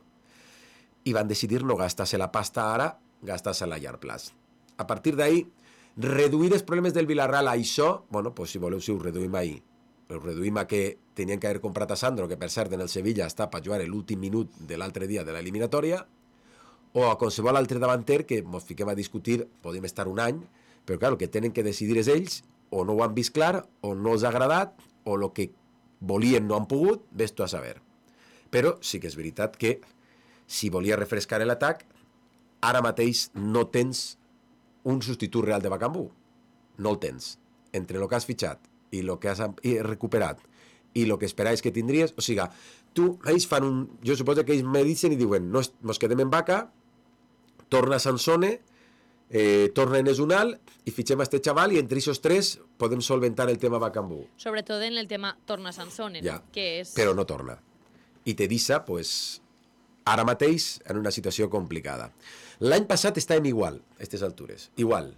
i van decidir no gastar-se la pasta ara, gastar-se a la llarg plaç. A partir d'ahir, reduir els problemes del Villarreal a això, bueno, pues si voleu, si ho reduïm ahir, ho reduïm a que tenien que haver comprat a Sandro, que per cert en el Sevilla està per jugar l'últim minut de l'altre dia de l'eliminatòria, o a qualsevol altre davanter que ens fiquem a discutir, podem estar un any, però clar, el que tenen que decidir és ells, o no ho han vist clar, o no els ha agradat, o el que volien no han pogut, ves tu a saber. Però sí que és veritat que si volia refrescar l'atac, ara mateix no tens un substitut real de Bakambu. No el tens. Entre el que has fitxat i el que has recuperat i el que esperaves que tindries, o sigui, tu, ells fan un... Jo suposo que ells medicen i diuen, no, nos quedem en Vaca, torna Sansone, eh, torna en Esunal i fitxem a este xaval i entre aquests tres podem solventar el tema Bakambu. Sobretot en el tema torna Sansone, ja, no? Que és... Però no torna. I te deixa, pues, ara mateix en una situació complicada. L'any passat estàvem igual, a aquestes altures, igual.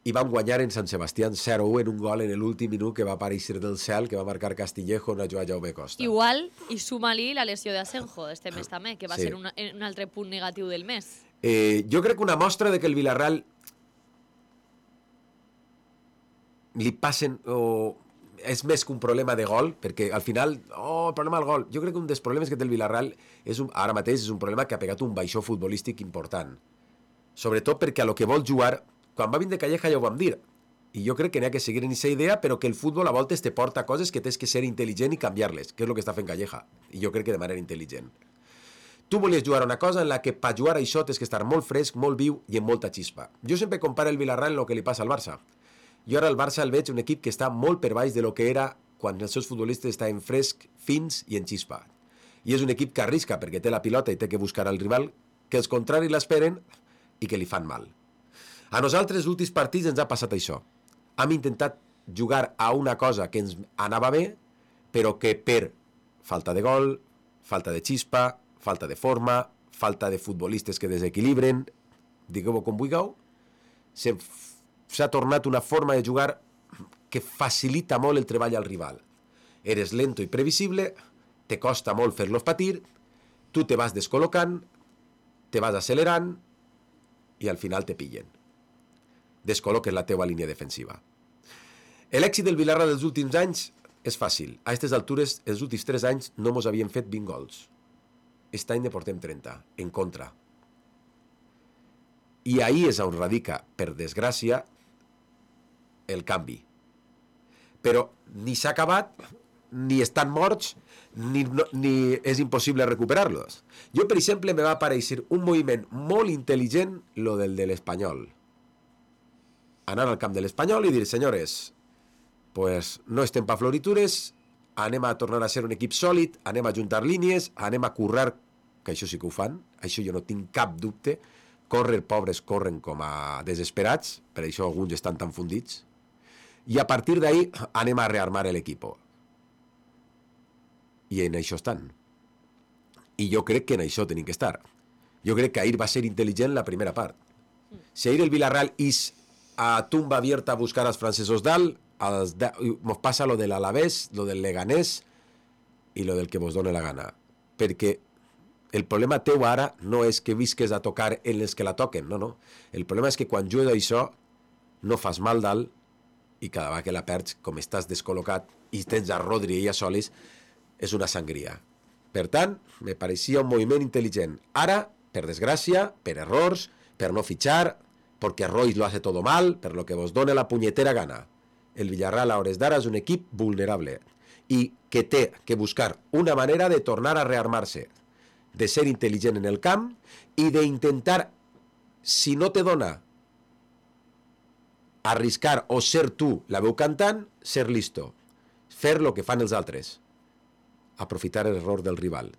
I vam guanyar en Sant Sebastián zero a u en un gol en l'últim minut que va aparèixer del cel, que va marcar Castillejo en la jugada Jaume Costa. Igual, i suma-li la lesió d'Asenjo d'este mes també, que va Sí. ser una, un altre punt negatiu del mes. Eh, jo crec que una mostra de que el Villarreal li passen... O és més que un problema de gol, perquè al final, oh, el problema del gol. Jo crec que un dels problemes que té el Villarreal és un, ara mateix és un problema que ha pegat un baixó futbolístic important. Sobretot perquè a lo que vol jugar, quan va vindre Calleja ja ho vam dir, i jo crec que n'hi ha que seguir en aquesta idea, però que el futbol a voltes te porta coses que tens que ser intel·ligent i canviar-les, que és el que està fent Calleja, i jo crec que de manera intel·ligent. Tu volies jugar a una cosa en la que per jugar a això tens que estar molt fresc, molt viu i amb molta xispa. Jo sempre comparo el Villarreal en el que li passa al Barça. Jo ara el Barça el veig un equip que està molt per baix de lo que era quan els seus futbolistes estaven fresc, fins i en xispa. I és un equip que arrisca perquè té la pilota i té que buscar al rival, que els contraris l'esperen i que li fan mal. A nosaltres, els últims partits, ens ha passat això. Hem intentat jugar a una cosa que ens anava bé, però que per falta de gol, falta de xispa, falta de forma, falta de futbolistes que desequilibren, digueu-ho com vulgueu, s'ha tornat una forma de jugar que facilita molt el treball al rival. Eres lento i previsible, te costa molt fer-los patir, tu te vas descol·locant, te vas accelerant i al final te pillen. Descol·loques la teua línia defensiva. L'èxit del Villarreal dels últims anys és fàcil. A aquestes altures, els últims tres anys no mos havien fet vint gols. Aquest any ne portem trenta, en contra. I ahí és on radica, per desgràcia, el canvi. Però ni s'ha acabat, ni estan morts, ni, no, ni és impossible recuperar-los. Jo, per exemple, me va aparèixer un moviment molt intel·ligent, lo del de l'Espanyol. Anar al camp de l'Espanyol i dir, senyores, pues no estem pa floritures, anem a tornar a ser un equip sòlid, anem a juntar línies, anem a currar, que això sí que ho fan, això jo no tinc cap dubte, córrer, pobres, corren com a desesperats, per això alguns estan tan fundits, i a partir d'ahí anem a rearmar l'equip. I en això estan. I jo crec que en això tenim que estar. Jo crec que ahir va ser intel·ligent la primera part. Si ahir el Villarreal és a tumba abierta a buscar als francesos dalt, als de... mos passa lo de l'Alavés, lo del Leganés i lo del que vos dona la gana. Perquè el problema teu ara no és que visques a tocar en els que la toquen, no, no. El problema és que quan jugues això no fas mal dalt i cada vegada que la perds, com estàs descol·locat i tens a Rodri i a Solis, és una sangria. Per tant, me pareixia un moviment intel·ligent. Ara, per desgràcia, per errors, per no fitxar, perquè Royce lo hace todo mal, per lo que vos dona la punyetera gana. El Villarreal a hores d'ara és un equip vulnerable i que té que buscar una manera de tornar a rearmar-se, de ser intel·ligent en el camp i d'intentar, si no te dona arriscar o ser tu la veu cantant, ser listo, fer lo que fan els altres, aprofitar l'error del rival,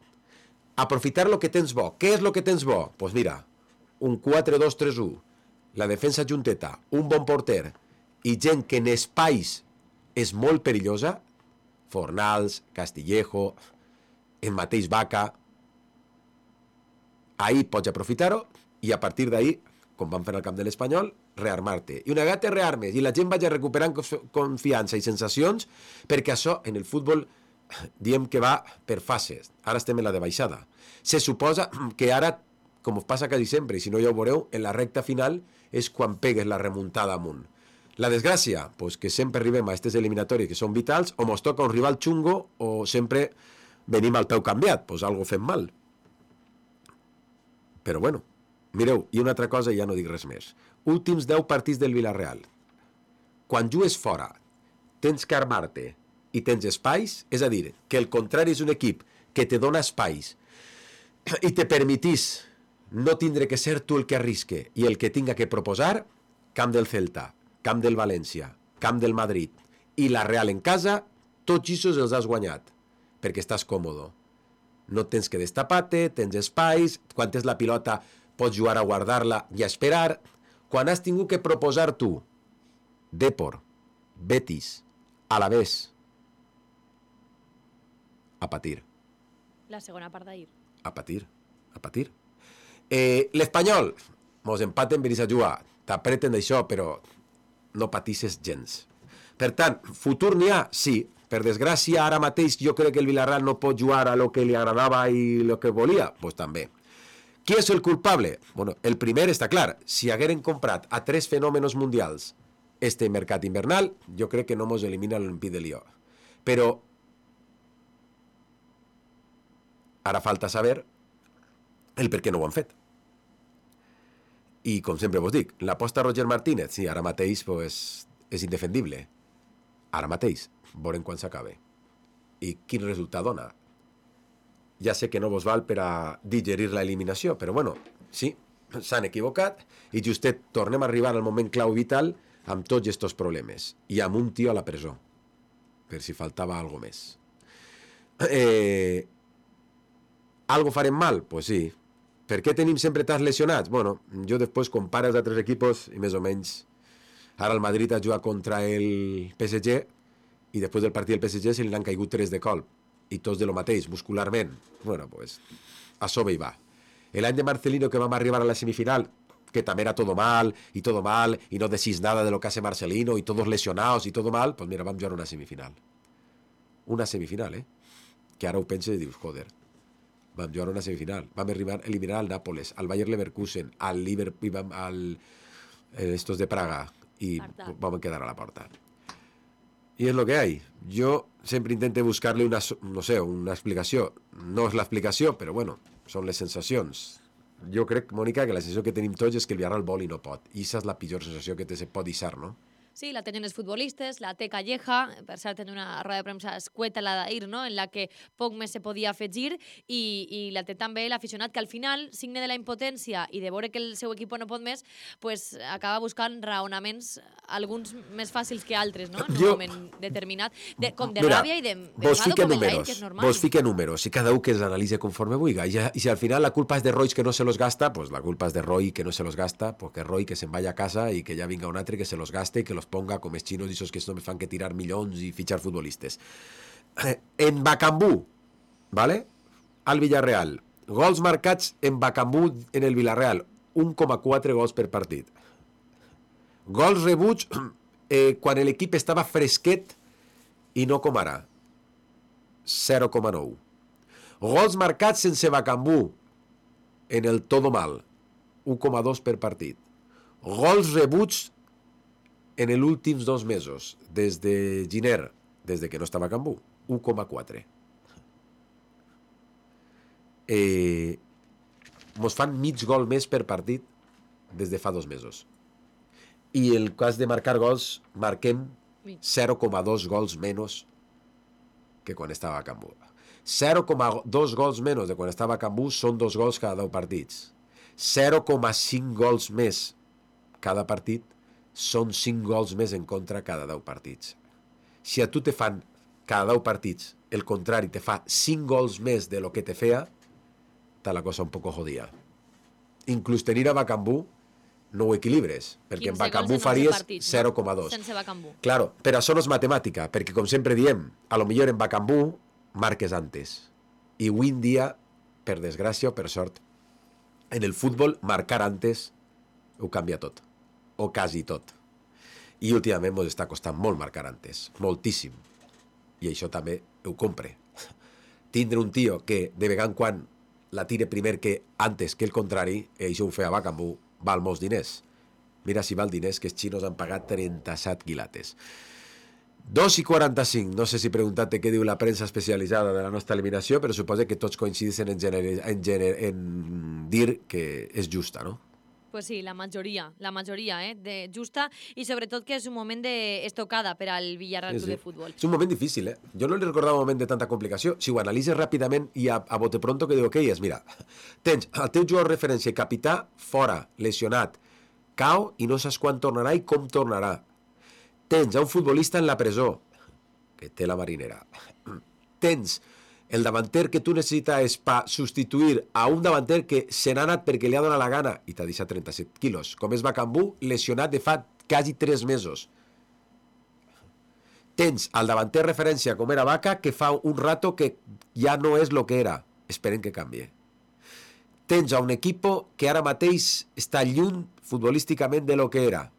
aprofitar lo que tens bo. Què és lo que tens bo? Doncs pues mira, un quatre dos tres u, la defensa junteta, un bon porter i gent que en espais és molt perillosa, Fornals, Castillejo, el mateix Vaca, ahir pots aprofitar-ho i a partir d'ahir, com vam fer al camp de l'Espanyol, rearmar-te. I una vegada te rearmes i la gent vagi recuperant confiança i sensacions, perquè això en el futbol diem que va per fases. Ara estem en la de baixada. Se suposa que ara, com passa quasi sempre, i si no ja ho veureu, en la recta final és quan pegues la remuntada amunt. La desgràcia, pues que sempre arribem a aquestes eliminatòries que són vitals, o mos toca un rival xungo o sempre venim al peu canviat, pues algo fem mal. Però bueno, mireu, i una altra cosa i ja no dic res més. Últims deu partits del Villarreal. Quan jugues fora, tens que armar-te i tens espais, és a dir, que el contrari és un equip que te dona espais i te permetís no tindre que ser tu el que arrisque i el que tinga que proposar, camp del Celta, camp del València, camp del Madrid i la Real en casa, tots aquests els has guanyat, perquè estàs còmodo. No tens que destapar-te, tens espais, quan tens la pilota pots jugar a guardar-la i a esperar. Quan has tingut que proposar tu, Depor, Betis, Alavés, a patir. La segona part d'ahir. A patir, a patir. Eh, L'Espanyol, mos empaten, venís a jugar, t'apreten d'això, però no patisses gens. Per tant, futur n'hi ha? Sí. Per desgràcia, ara mateix jo crec que el Villarreal no pot jugar a lo que li agradava i lo que volia? Pues també. Qui és el culpable? Bueno, el primer està clar. Si hagueren comprat a tres fenòmenos mundials este mercat invernal, jo crec que no mos elimina l'Olympique de Lió. Però ara falta saber el per què no ho han fet. I com sempre vos dic, l'aposta Roger Martínez, sí, ara mateix pues, és indefendible. Ara mateix, veurem quan s'acabe. I quin resultat dona. Ja sé que no vos val per a digerir l'eliminació, però bueno, sí, s'han equivocat i justet tornem a arribar al moment clau vital amb tots aquests problemes i amb un tio a la presó, per si faltava algo més. Eh, algo farem mal? Pues sí. Per què tenim sempre tants lesionats? Bueno, jo després comparo els altres equipos i més o menys ara el Madrid ha jugat contra el P S G i després del partit del P S G se li han caigut tres de colp i tots de lo mateix, muscularment. Bueno, pues a sobre hi va. L'any de Marcelino que vam arribar a la semifinal, que també era todo mal, i todo mal, i no decís nada de lo que hace Marcelino, y todos lesionados, y todo mal, pues mira, vam jugar una semifinal. Una semifinal, eh? Que ara ho penses i dius, joder, vam jugar una semifinal. Vam arribar a eliminar al Nápoles, al Bayer Leverkusen, al Liverpool, al eh, estos de Praga, i vam quedar a la porta. Y es lo que hay. Yo siempre intento buscarle una, no sé, una explicació. No és l'explicació, però bueno, són les sensacions. Jo crec, Mònica, que la sensació que tenim tots és que el Villarreal vol i no pot. I aquesta és la pitjor sensació que te se pot deixar, no? Sí, la tenen els futbolistes, la té Calleja, per cert, en una roda de premsa escueta la d'ahir, no?, en la que poc més se podia afegir, i, i la té també l'aficionat, que al final, signe de la impotència i de veure que el seu equip no pot més, pues, acaba buscant raonaments, alguns més fàcils que altres, no?, en un jo... moment determinat, de, com de Mira, ràbia i de vos fique com el números, d'ahir, que és normal. vos fique números, i cada un que els analitza conforme vulga. I, i si al final la culpa és de Roy que no se los gasta, pues la culpa és de Roy que no se los gasta, pues que Roy que se'n vaya a casa i que ja vinga un altre que se los gaste i que los ponga com els xinos i esos que només fan que tirar milions i fitxar futbolistes. En Bacambú, ¿vale? Al Villarreal. Gols marcats en Bacambú en el Villarreal. un coma quatre gols per partit. Gols rebuts eh, quan l'equip estava fresquet i no com ara. zero coma nou. Gols marcats sense Bacambú en el todo mal. un coma dos per partit. Gols rebuts en els últims dos mesos, des de Giner, des de que no estava a Cambú, un coma quatre. Eh, mos fan mig gol més per partit des de fa dos mesos. I el cas de marcar gols, marquem zero coma dos gols menys que quan estava a Cambú. zero coma dos gols menys de quan estava a Cambú són dos gols cada deu partits. zero coma cinc gols més cada partit són cinc gols més en contra cada deu partits. Si a tu te fan cada deu partits, el contrari te fa cinc gols més de lo que te feia, està la cosa un poco jodida. Inclús tenir a Bacambú no ho equilibres, perquè en Bacambú faries zero coma dos. Sense Bacambú. Claro, però això no és matemàtica, perquè com sempre diem, a lo millor en Bacambú marques antes. I avui en dia, per desgràcia o per sort, en el futbol marcar antes ho canvia tot, o quasi tot. I últimament ens està costant molt marcar antes, moltíssim. I això també ho compre. Tindre un tio que de vegada en quan la tire primer que antes que el contrari, i això ho feia Bacambú, val molts diners. Mira si val diners que els xinos han pagat trenta-set quilates. dos i quaranta-cinc, no sé si preguntar-te què diu la premsa especialitzada de la nostra eliminació, però suposo que tots coincideixen en, gener, en, gener, en dir que és justa, no? Pues sí, la majoria, la majoria, eh, de justa, i sobretot que és un moment d'estocada per al Villarreal Club de Futbol. És un moment difícil, eh? Jo no li recordava un moment de tanta complicació. Si ho analitzes ràpidament i a, a bote pronto que diu que és, mira, tens el teu jugador referència i capità fora, lesionat, cau i no saps quan tornarà i com tornarà. Tens a un futbolista en la presó, que té la marinera. Tens el davanter que tu necessites per substituir a un davanter que se n'ha anat perquè li ha donat la gana i t'ha deixat trenta-set quilos, com és Bacambú, lesionat de fa quasi tres mesos. Tens el davanter referència com era Vaca, que fa un rato que ja no és el que era. Esperem que canvie. Tens a un equipo que ara mateix està lluny futbolísticament de lo que era.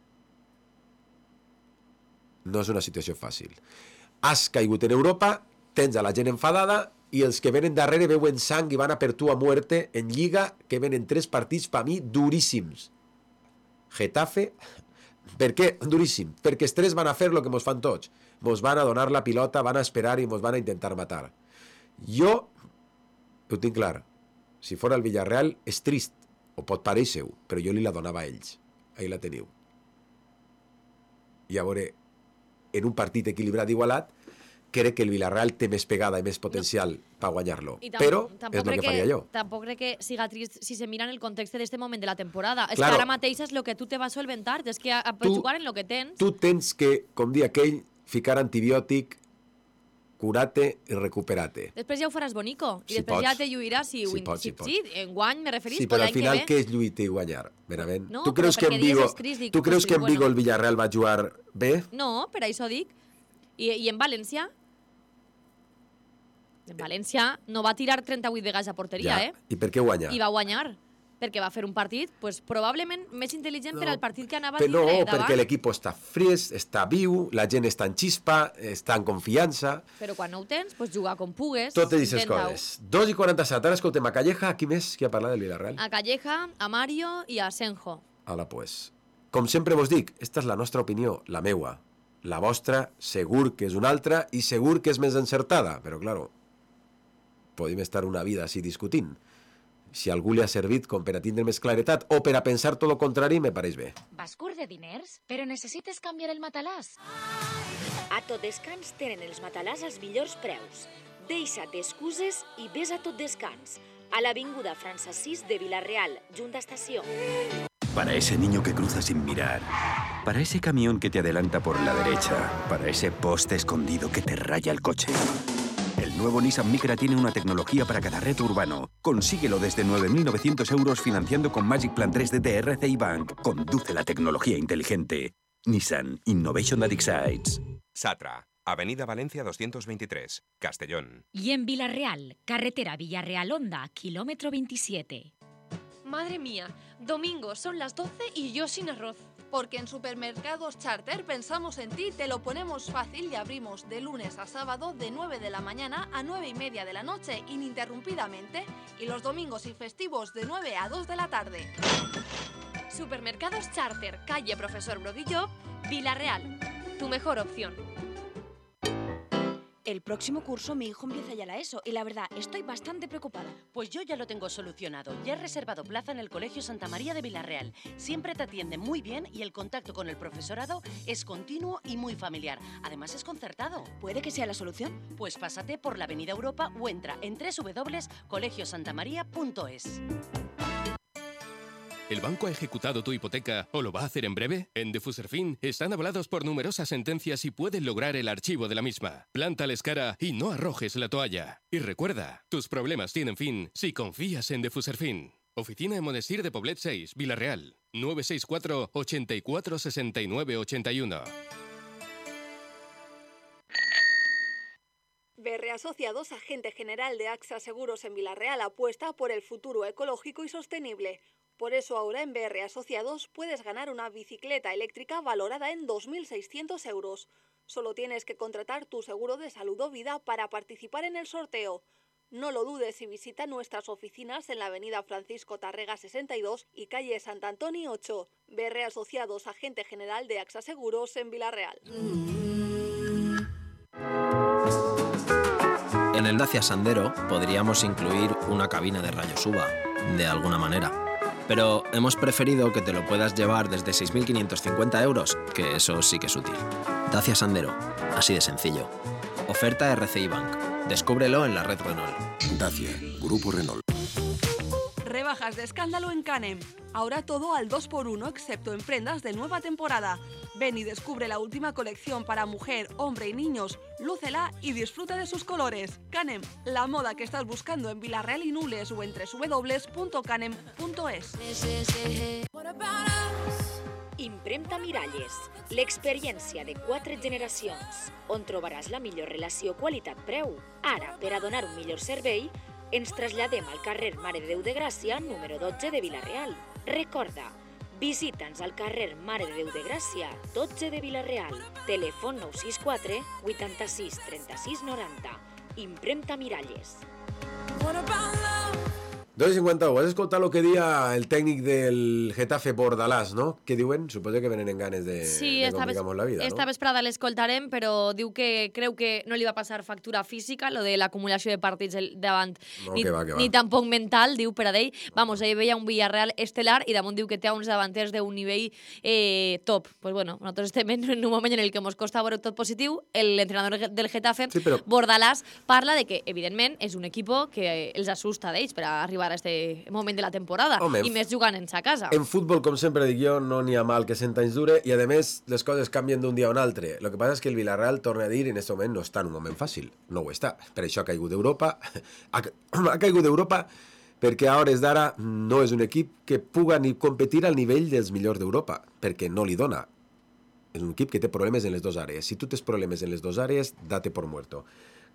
No és una situació fàcil. Has caigut en Europa, tens a la gent enfadada i els que venen darrere veuen sang i van a per tu a muerte en Lliga, que venen tres partits per mi duríssims. Getafe, per què duríssim? Perquè els tres van a fer el que mos fan tots. Mos van a donar la pilota, van a esperar i mos van a intentar matar. Jo ho tinc clar. Si fora el Villarreal és trist, o pot parèixer-ho, però jo li la donava a ells. Ahí la teniu. I a veure, en un partit equilibrat igualat, crec que el Villarreal té més pegada i més potencial no. per guanyar-lo. Però és el que faria jo. Tampoc crec que siga trist si se mira en el context d'aquest moment de la temporada. És claro. que ara mateix és el que tu te vas solventar, és que a, a tu, jugar en el que tens... Tu tens que, com dir aquell, ficar antibiòtic, curate i recuperate. Després ja ho faràs bonico. I si després pots. ja te lluiràs si, si, si, pots, si, si, si en guany me referís. Sí, però al final què és lluitar i guanyar? Verament. No, tu creus que en Vigo, escrits, dic, tu creus pues, que en Vigo bueno. el Villarreal va jugar bé? No, per això dic. I, i en València... En València no va tirar trenta-vuit vegades a porteria, ja. eh? I per què guanyar? I va guanyar. Perquè va fer un partit, pues, probablement més intel·ligent no, per al partit que anava a tindre davant. No, perquè l'equip està fresc, està viu, la gent està en xispa, està en confiança... Però quan no ho tens, pues, jugar com pugues. Totes aquestes coses. dos i quaranta-set. Ara escoltem a Calleja, qui més qui ha parlat del Villarreal? A Calleja, a Mario i a Senjo. Hola, pues. Com sempre vos dic, esta és la nostra opinió, la meua. La vostra, segur que és una altra i segur que és més encertada, però, claro, podem estar una vida així discutint. Si algú li ha servit com per a tindre més claretat o per a pensar tot el contrari, me pareix bé. Vas curt de diners? Però necessites canviar el matalàs. A Tot Descans tenen els matalàs als millors preus. Deixa't d'excuses i ves a Tot Descans. A l'avinguda França sis de Vila-real, junta estació. Para ese niño que cruza sin mirar, para ese camión que te adelanta por la derecha, para ese poste escondido que te raya el coche. El nuevo Nissan Micra tiene una tecnología para cada reto urbano. Consíguelo desde nueve mil novecientos euros financiando con Magic Plan tres D de R C I Bank. Conduce la tecnología inteligente. Nissan Innovation that excites. Satra, Avenida Valencia doscientos veintitrés, Castellón. Y en Villarreal, carretera Villarreal-Honda, kilómetro veintisiete. Madre mía, domingo son las doce y yo sin arroz. Porque en Supermercados Charter pensamos en ti, te lo ponemos fácil y abrimos de lunes a sábado de nueve de la mañana a nueve y media de la noche ininterrumpidamente y los domingos y festivos de nueve a dos de la tarde. Supermercados Charter, calle Profesor Brodillo, Vila-real. Tu mejor opción. El próximo curso mi hijo empieza ya la ESO y la verdad estoy bastante preocupada. Pues yo ya lo tengo solucionado. Ya he reservado plaza en el Colegio Santa María de Vila-real. Siempre te atienden muy bien y el contacto con el profesorado es continuo y muy familiar. Además es concertado. ¿Puede que sea la solución? Pues pásate por la Avenida Europa o entra en doble u doble u doble u punto colegio santa maría punto es. ¿El banco ha ejecutado tu hipoteca o lo va a hacer en breve? En Defuserfin están avalados por numerosas sentencias y pueden lograr el archivo de la misma. Plántales cara y no arrojes la toalla. Y recuerda, tus problemas tienen fin si confías en Defuserfin. Oficina en Monestir de Poblet seis, Villarreal. nueve seis cuatro, ochenta y cuatro, sesenta y nueve, ochenta y uno. B R Asociados, agente general de AXA Seguros en Villarreal, apuesta por el futuro ecológico y sostenible. Por eso ahora en B R Asociados puedes ganar una bicicleta eléctrica valorada en dos mil seiscientos euros. Solo tienes que contratar tu seguro de salud o vida para participar en el sorteo. No lo dudes y visita nuestras oficinas en la avenida Francisco Tarrega sesenta y dos y calle Sant Antoni ocho. B R Asociados, agente general de AXA Seguros en Villarreal. En el Dacia Sandero podríamos incluir una cabina de rayos U V A, de alguna manera. Pero hemos preferido que te lo puedas llevar desde seis mil quinientos cincuenta euros, que eso sí que es útil. Dacia Sandero, así de sencillo. Oferta R C I Bank. Descúbrelo en la red Renault. Dacia, Grupo Renault. Rebajas de escándalo en Canem. Ahora todo al dos por uno excepto en prendas de nueva temporada. Ven y descubre la última colección para mujer, hombre y niños. Lúcela y disfruta de sus colores. Canem, la moda que estás buscando en Villarreal i Nules o en doble u doble u doble u punto canem punto es. Impremta Miralles, l'experiència de quatre generacions, on trobaràs la millor relació qualitat-preu. Ara, per a donar un millor servei, ens traslladem al carrer Mare de Déu de Gràcia, número dotze de Vilareal. Recorda, visita'ns al carrer Mare de Déu de Gràcia, dotze de Vilareal. Telèfon nou sis quatre, vuitanta-sis, trenta-sis, noranta. Impremta Miralles. dos cincuenta, has escoltat el que dia el tècnic del Getafe Bordalàs, no? Què diuen? Suposo que venen en ganes de, sí, de complicar-nos la vida, esta no? vesprada l'escoltarem, però diu que creu que no li va passar factura física, lo de l'acumulació de partits davant, No, ni, que va, que va. ni tampoc mental, diu per a d'ell. Vamos, ell veia un Villarreal estelar i damunt diu que té uns davanters d'un nivell eh, top. Pues bueno, nosaltres estem en un moment en el que ens costa veure tot positiu. L'entrenador del Getafe, sí, però... Bordalàs, parla de que, evidentment, és un equip que els assusta d'ells per a arribar a este moment de la temporada. Home, i més jugant en sa casa. En futbol, com sempre dic jo, no n'hi ha mal que cent anys dure i, a més, les coses canvien d'un dia a un altre. Lo que passa és que el Villarreal, torna a dir, en aquest moment no està en un moment fàcil. No ho està. Per això ha caigut d'Europa. Ha, ha caigut d'Europa perquè a hores d'ara no és un equip que puga ni competir al nivell dels millors d'Europa, perquè no li dona. És un equip que té problemes en les dues àrees. Si tu tens problemes en les dues àrees, date por muerto.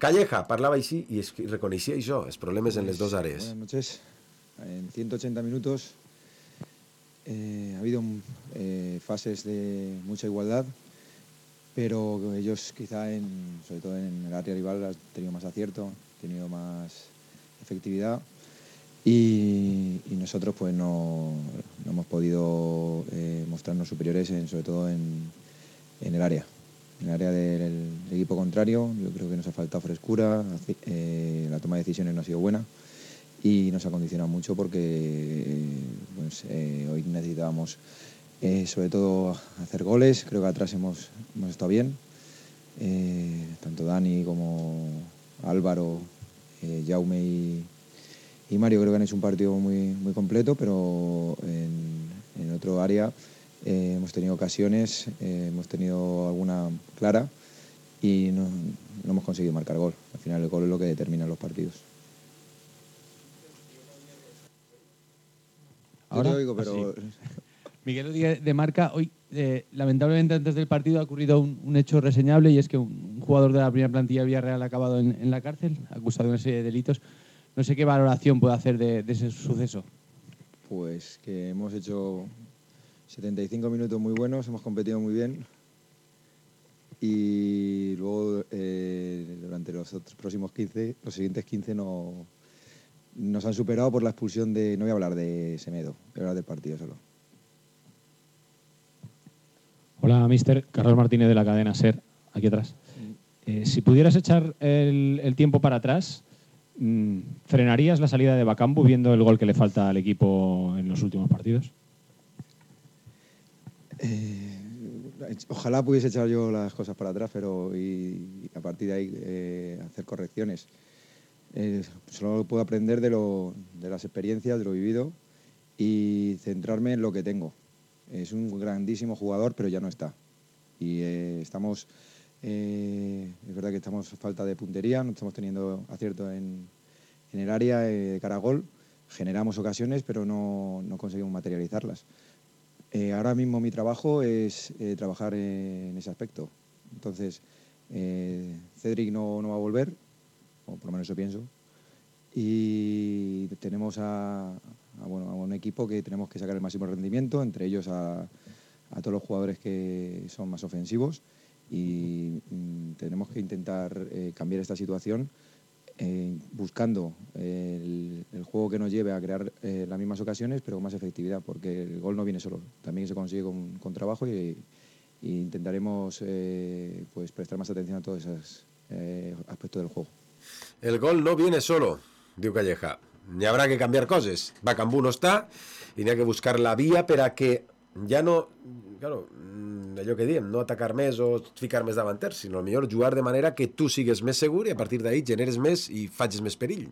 Calleja parlava així i es reconeixia això, els problemes en les dues àrees. Buenas noches. En ciento ochenta minutos eh, ha habido eh, fases de mucha igualdad, pero ellos quizá, en, sobre todo en el área rival, han tenido más acierto, han tenido más efectividad y, y nosotros pues no, no hemos podido eh, mostrarnos superiores, en, sobre todo en, en el área. En el área del, del equipo contrario, yo creo que nos ha faltado frescura, eh, la toma de decisiones no ha sido buena. Y nos ha condicionado mucho porque pues, eh, hoy necesitábamos eh, sobre todo hacer goles. Creo que atrás hemos, hemos estado bien, eh, tanto Dani como Álvaro, eh, Jaume y, y Mario creo que han hecho un partido muy, muy completo, pero en, en otro área eh, hemos tenido ocasiones, eh, hemos tenido alguna clara y no, no hemos conseguido marcar gol. Al final el gol es lo que determina los partidos. Ahora, Yo te oigo, pero... sí. Miguel Díaz de Marca, hoy eh, lamentablemente antes del partido ha ocurrido un, un hecho reseñable y es que un, un jugador de la primera plantilla de Villarreal ha acabado en, en la cárcel, acusado de una serie de delitos. No sé qué valoración puede hacer de, de ese suceso. Pues que hemos hecho setenta y cinco minutos muy buenos, hemos competido muy bien y luego eh, durante los otros próximos quince, los siguientes quince no... Nos han superado por la expulsión de... No voy a hablar de Semedo, voy a hablar del partido solo. Hola, mister. Carlos Martínez de la cadena SER, aquí atrás. Eh, si pudieras echar el, el tiempo para atrás, mmm, ¿frenarías la salida de Bakambu viendo el gol que le falta al equipo en los últimos partidos? Eh, ojalá pudiese echar yo las cosas para atrás, pero y, y a partir de ahí eh, hacer correcciones. Eh, solo puedo aprender de, lo, de las experiencias, de lo vivido y centrarme en lo que tengo. Es un grandísimo jugador, pero ya no está. Y eh, estamos, eh, es verdad que estamos a falta de puntería, no estamos teniendo acierto en, en el área eh, de cara a gol. generamos ocasiones, pero no, no conseguimos materializarlas. Eh, ahora mismo mi trabajo es eh, trabajar en ese aspecto. Entonces, eh, Cedric no, no va a volver, o por lo menos eso pienso, y tenemos a, a, bueno, a un equipo que tenemos que sacar el máximo rendimiento, entre ellos a, a todos los jugadores que son más ofensivos, y mm, tenemos que intentar eh, cambiar esta situación eh, buscando el, el juego que nos lleve a crear eh, las mismas ocasiones, pero con más efectividad, porque el gol no viene solo, también se consigue con, con trabajo, y, y intentaremos eh, pues prestar más atención a todos esos eh, aspectos del juego. El gol no viene solo, diu Calleja. N'hi haurà que canviar coses. Bacambú no està i n'hi ha que buscar la via per a que ja no, claro, allò que diem, no atacar més o ficar més davanters, sinó millor jugar de manera que tu sigues més segur i a partir d'ahí generes més i facis més perill.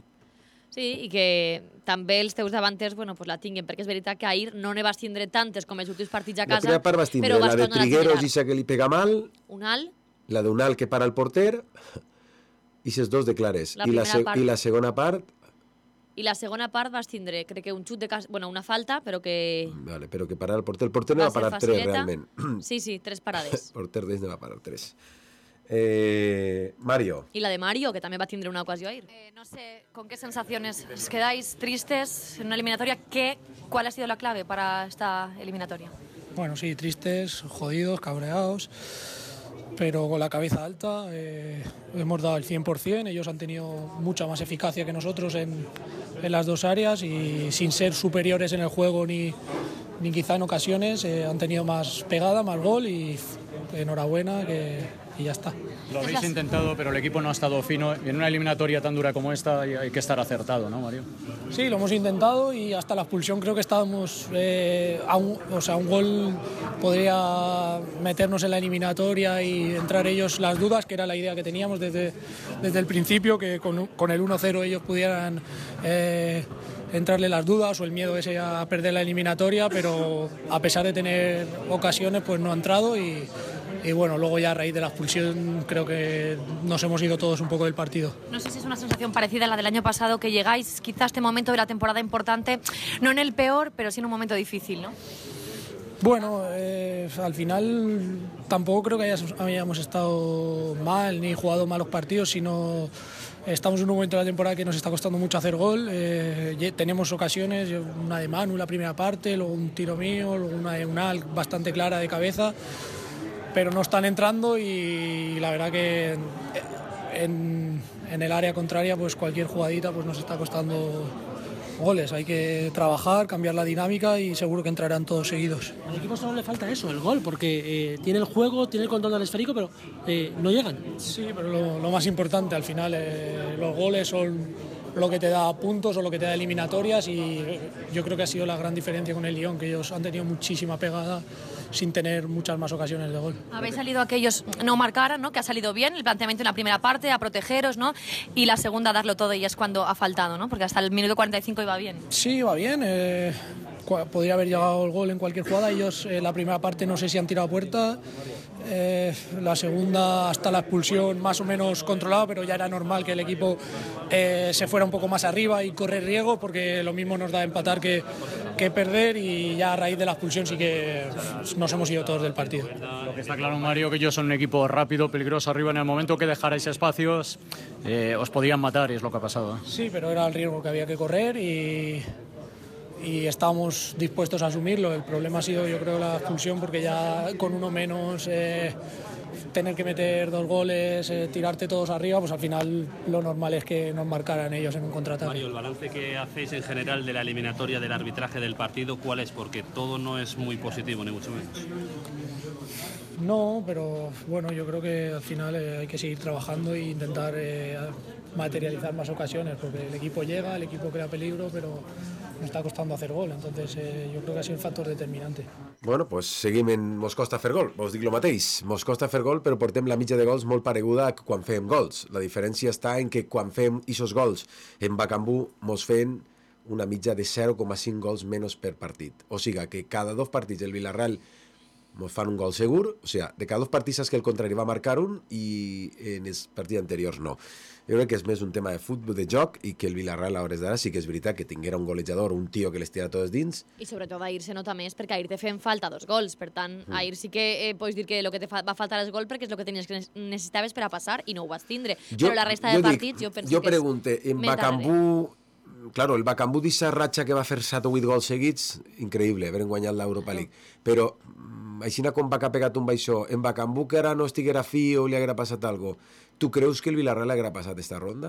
Sí, i que també els teus davanters bueno, pues la tinguen, perquè és veritat que ahir no ne vas tindre tantes com els últims partits a casa. La primera part vas tindre la de Trigueros, Isa que li pega mal, Unal, la de Unal que para el porter, i ses dos de clares. La I, la primera part. I la segona part... i la segona part vas tindre, crec que un xut de casa, bueno, una falta, però que... Vale, però que parar el porter. El porter no va, va parar tres, realment. Sí, sí, tres parades. El porter d'ells no va parar tres. Eh, Mario. Y la de Mario, que también va a tener una ocasión ahí. Eh, no sé, ¿con qué sensaciones os quedáis tristes en una eliminatoria? ¿Qué, ¿Cuál ha sido la clave para esta eliminatoria? Bueno, sí, tristes, jodidos, cabreados, pero con la cabeza alta. Eh, hemos dado el cien por cien, ellos han tenido mucha más eficacia que nosotros en, en las dos áreas y sin ser superiores en el juego ni, ni quizá en ocasiones, eh, han tenido más pegada, más gol y enhorabuena que... y ya está. Lo habéis intentado, pero el equipo no ha estado fino. En una eliminatoria tan dura como esta hay que estar acertado, ¿no, Mario? Sí, lo hemos intentado y hasta la expulsión creo que estábamos... Eh, a un, o sea, un gol podría meternos en la eliminatoria y entrar ellos las dudas, que era la idea que teníamos desde, desde el principio, que con, con el uno cero ellos pudieran... Eh, entrarle las dudas o el miedo ese a perder la eliminatoria, pero a pesar de tener ocasiones pues no ha entrado y, y bueno, luego ya a raíz de la expulsión creo que nos hemos ido todos un poco del partido. No sé si es una sensación parecida a la del año pasado, que llegáis quizá a este momento de la temporada importante, no en el peor, pero sí en un momento difícil, ¿no? Bueno, eh, al final tampoco creo que hayas, hayamos estado mal ni jugado malos partidos, sino... Estamos en un momento de la temporada que nos está costando mucho hacer gol, eh, tenemos ocasiones, una de Manu la primera parte, luego un tiro mío, luego una de Unal bastante clara de cabeza, pero no están entrando y la verdad que en, en el área contraria pues cualquier jugadita pues nos está costando goles. Hay que trabajar, cambiar la dinámica y seguro que entrarán todos seguidos. Al equipo solo le falta eso, el gol, porque eh, tiene el juego, tiene el control del esférico, pero eh, no llegan. Sí, pero lo, lo más importante al final, eh, los goles son lo que te da puntos o lo que te da eliminatorias y yo creo que ha sido la gran diferencia con el Lyon, que ellos han tenido muchísima pegada sin tener muchas más ocasiones de gol. Habéis salido a que ellos no marcaran, ¿no? Que ha salido bien el planteamiento en la primera parte, a protegeros, ¿no? Y la segunda a darlo todo y es cuando ha faltado, ¿no? Porque hasta el minuto cuarenta y cinco iba bien. Sí, iba bien. Eh, podría haber llegado el gol en cualquier jugada. Ellos eh, la primera parte no sé si han tirado a puerta. Eh, la segunda hasta la expulsión más o menos controlada, pero ya era normal que el equipo eh, se fuera un poco más arriba y correr riesgo, porque lo mismo nos da empatar que, que perder, y ya a raíz de la expulsión sí que nos hemos ido todos del partido. Lo que está claro, Mario, que ellos son un equipo rápido, peligroso arriba. En el momento que dejarais espacios eh, os podían matar y es lo que ha pasado, ¿eh? Sí, pero era el riesgo que había que correr y... y estábamos dispuestos a asumirlo. El problema ha sido, yo creo, la expulsión, porque ya con uno menos eh, tener que meter dos goles, eh, tirarte todos arriba, pues al final lo normal es que nos marcaran ellos en un contraataque. Mario, el balance que hacéis en general de la eliminatoria, del arbitraje del partido, ¿cuál es? Porque todo no es muy positivo, ni mucho menos. No, pero bueno, yo creo que al final eh, hay que seguir trabajando e intentar eh, materializar más ocasiones, porque el equipo llega, el equipo crea peligro, pero nos està costant hacer gol, entonces eh, jo crec que ha sigut un factor determinante. Bueno, pues seguim en mos costa fer gol, us dic el mateix, mos costa fer gol, però portem la mitja de gols molt pareguda a quan fem gols. La diferència està en que quan fem aquests gols en Bacambú mos fem una mitja de zero coma cinc gols menys per partit. O sigui que cada dos partits el Villarreal mos fan un gol segur, o sigui, de cada dos partits que el contrari va marcar un i en els partits anteriors no. Jo crec que és més un tema de futbol, de joc, i que el Villarreal a hores d'ara sí que és veritat que tinguera un golejador, un tio que les tira totes dins. I sobretot Ahir se nota més perquè Ahir te fem falta dos gols, per tant, mm. Ahir sí que eh, pots dir que el que te fa, va faltar és gol perquè és el que tenies que necessitaves per a passar i no ho vas tindre. Jo, però la resta de partits dic, jo penso jo que pregunte, en Bacambú, claro, el Bacambú d'aquesta ratxa que va fer set o vuit gols seguits, increïble, haver guanyat l'Europa League, però així com Baca ha pegat un baixó, en Bacambú que ara no estiguera fi o li haguera passat alguna cosa, tu creus que el Villarreal haguera passat esta ronda?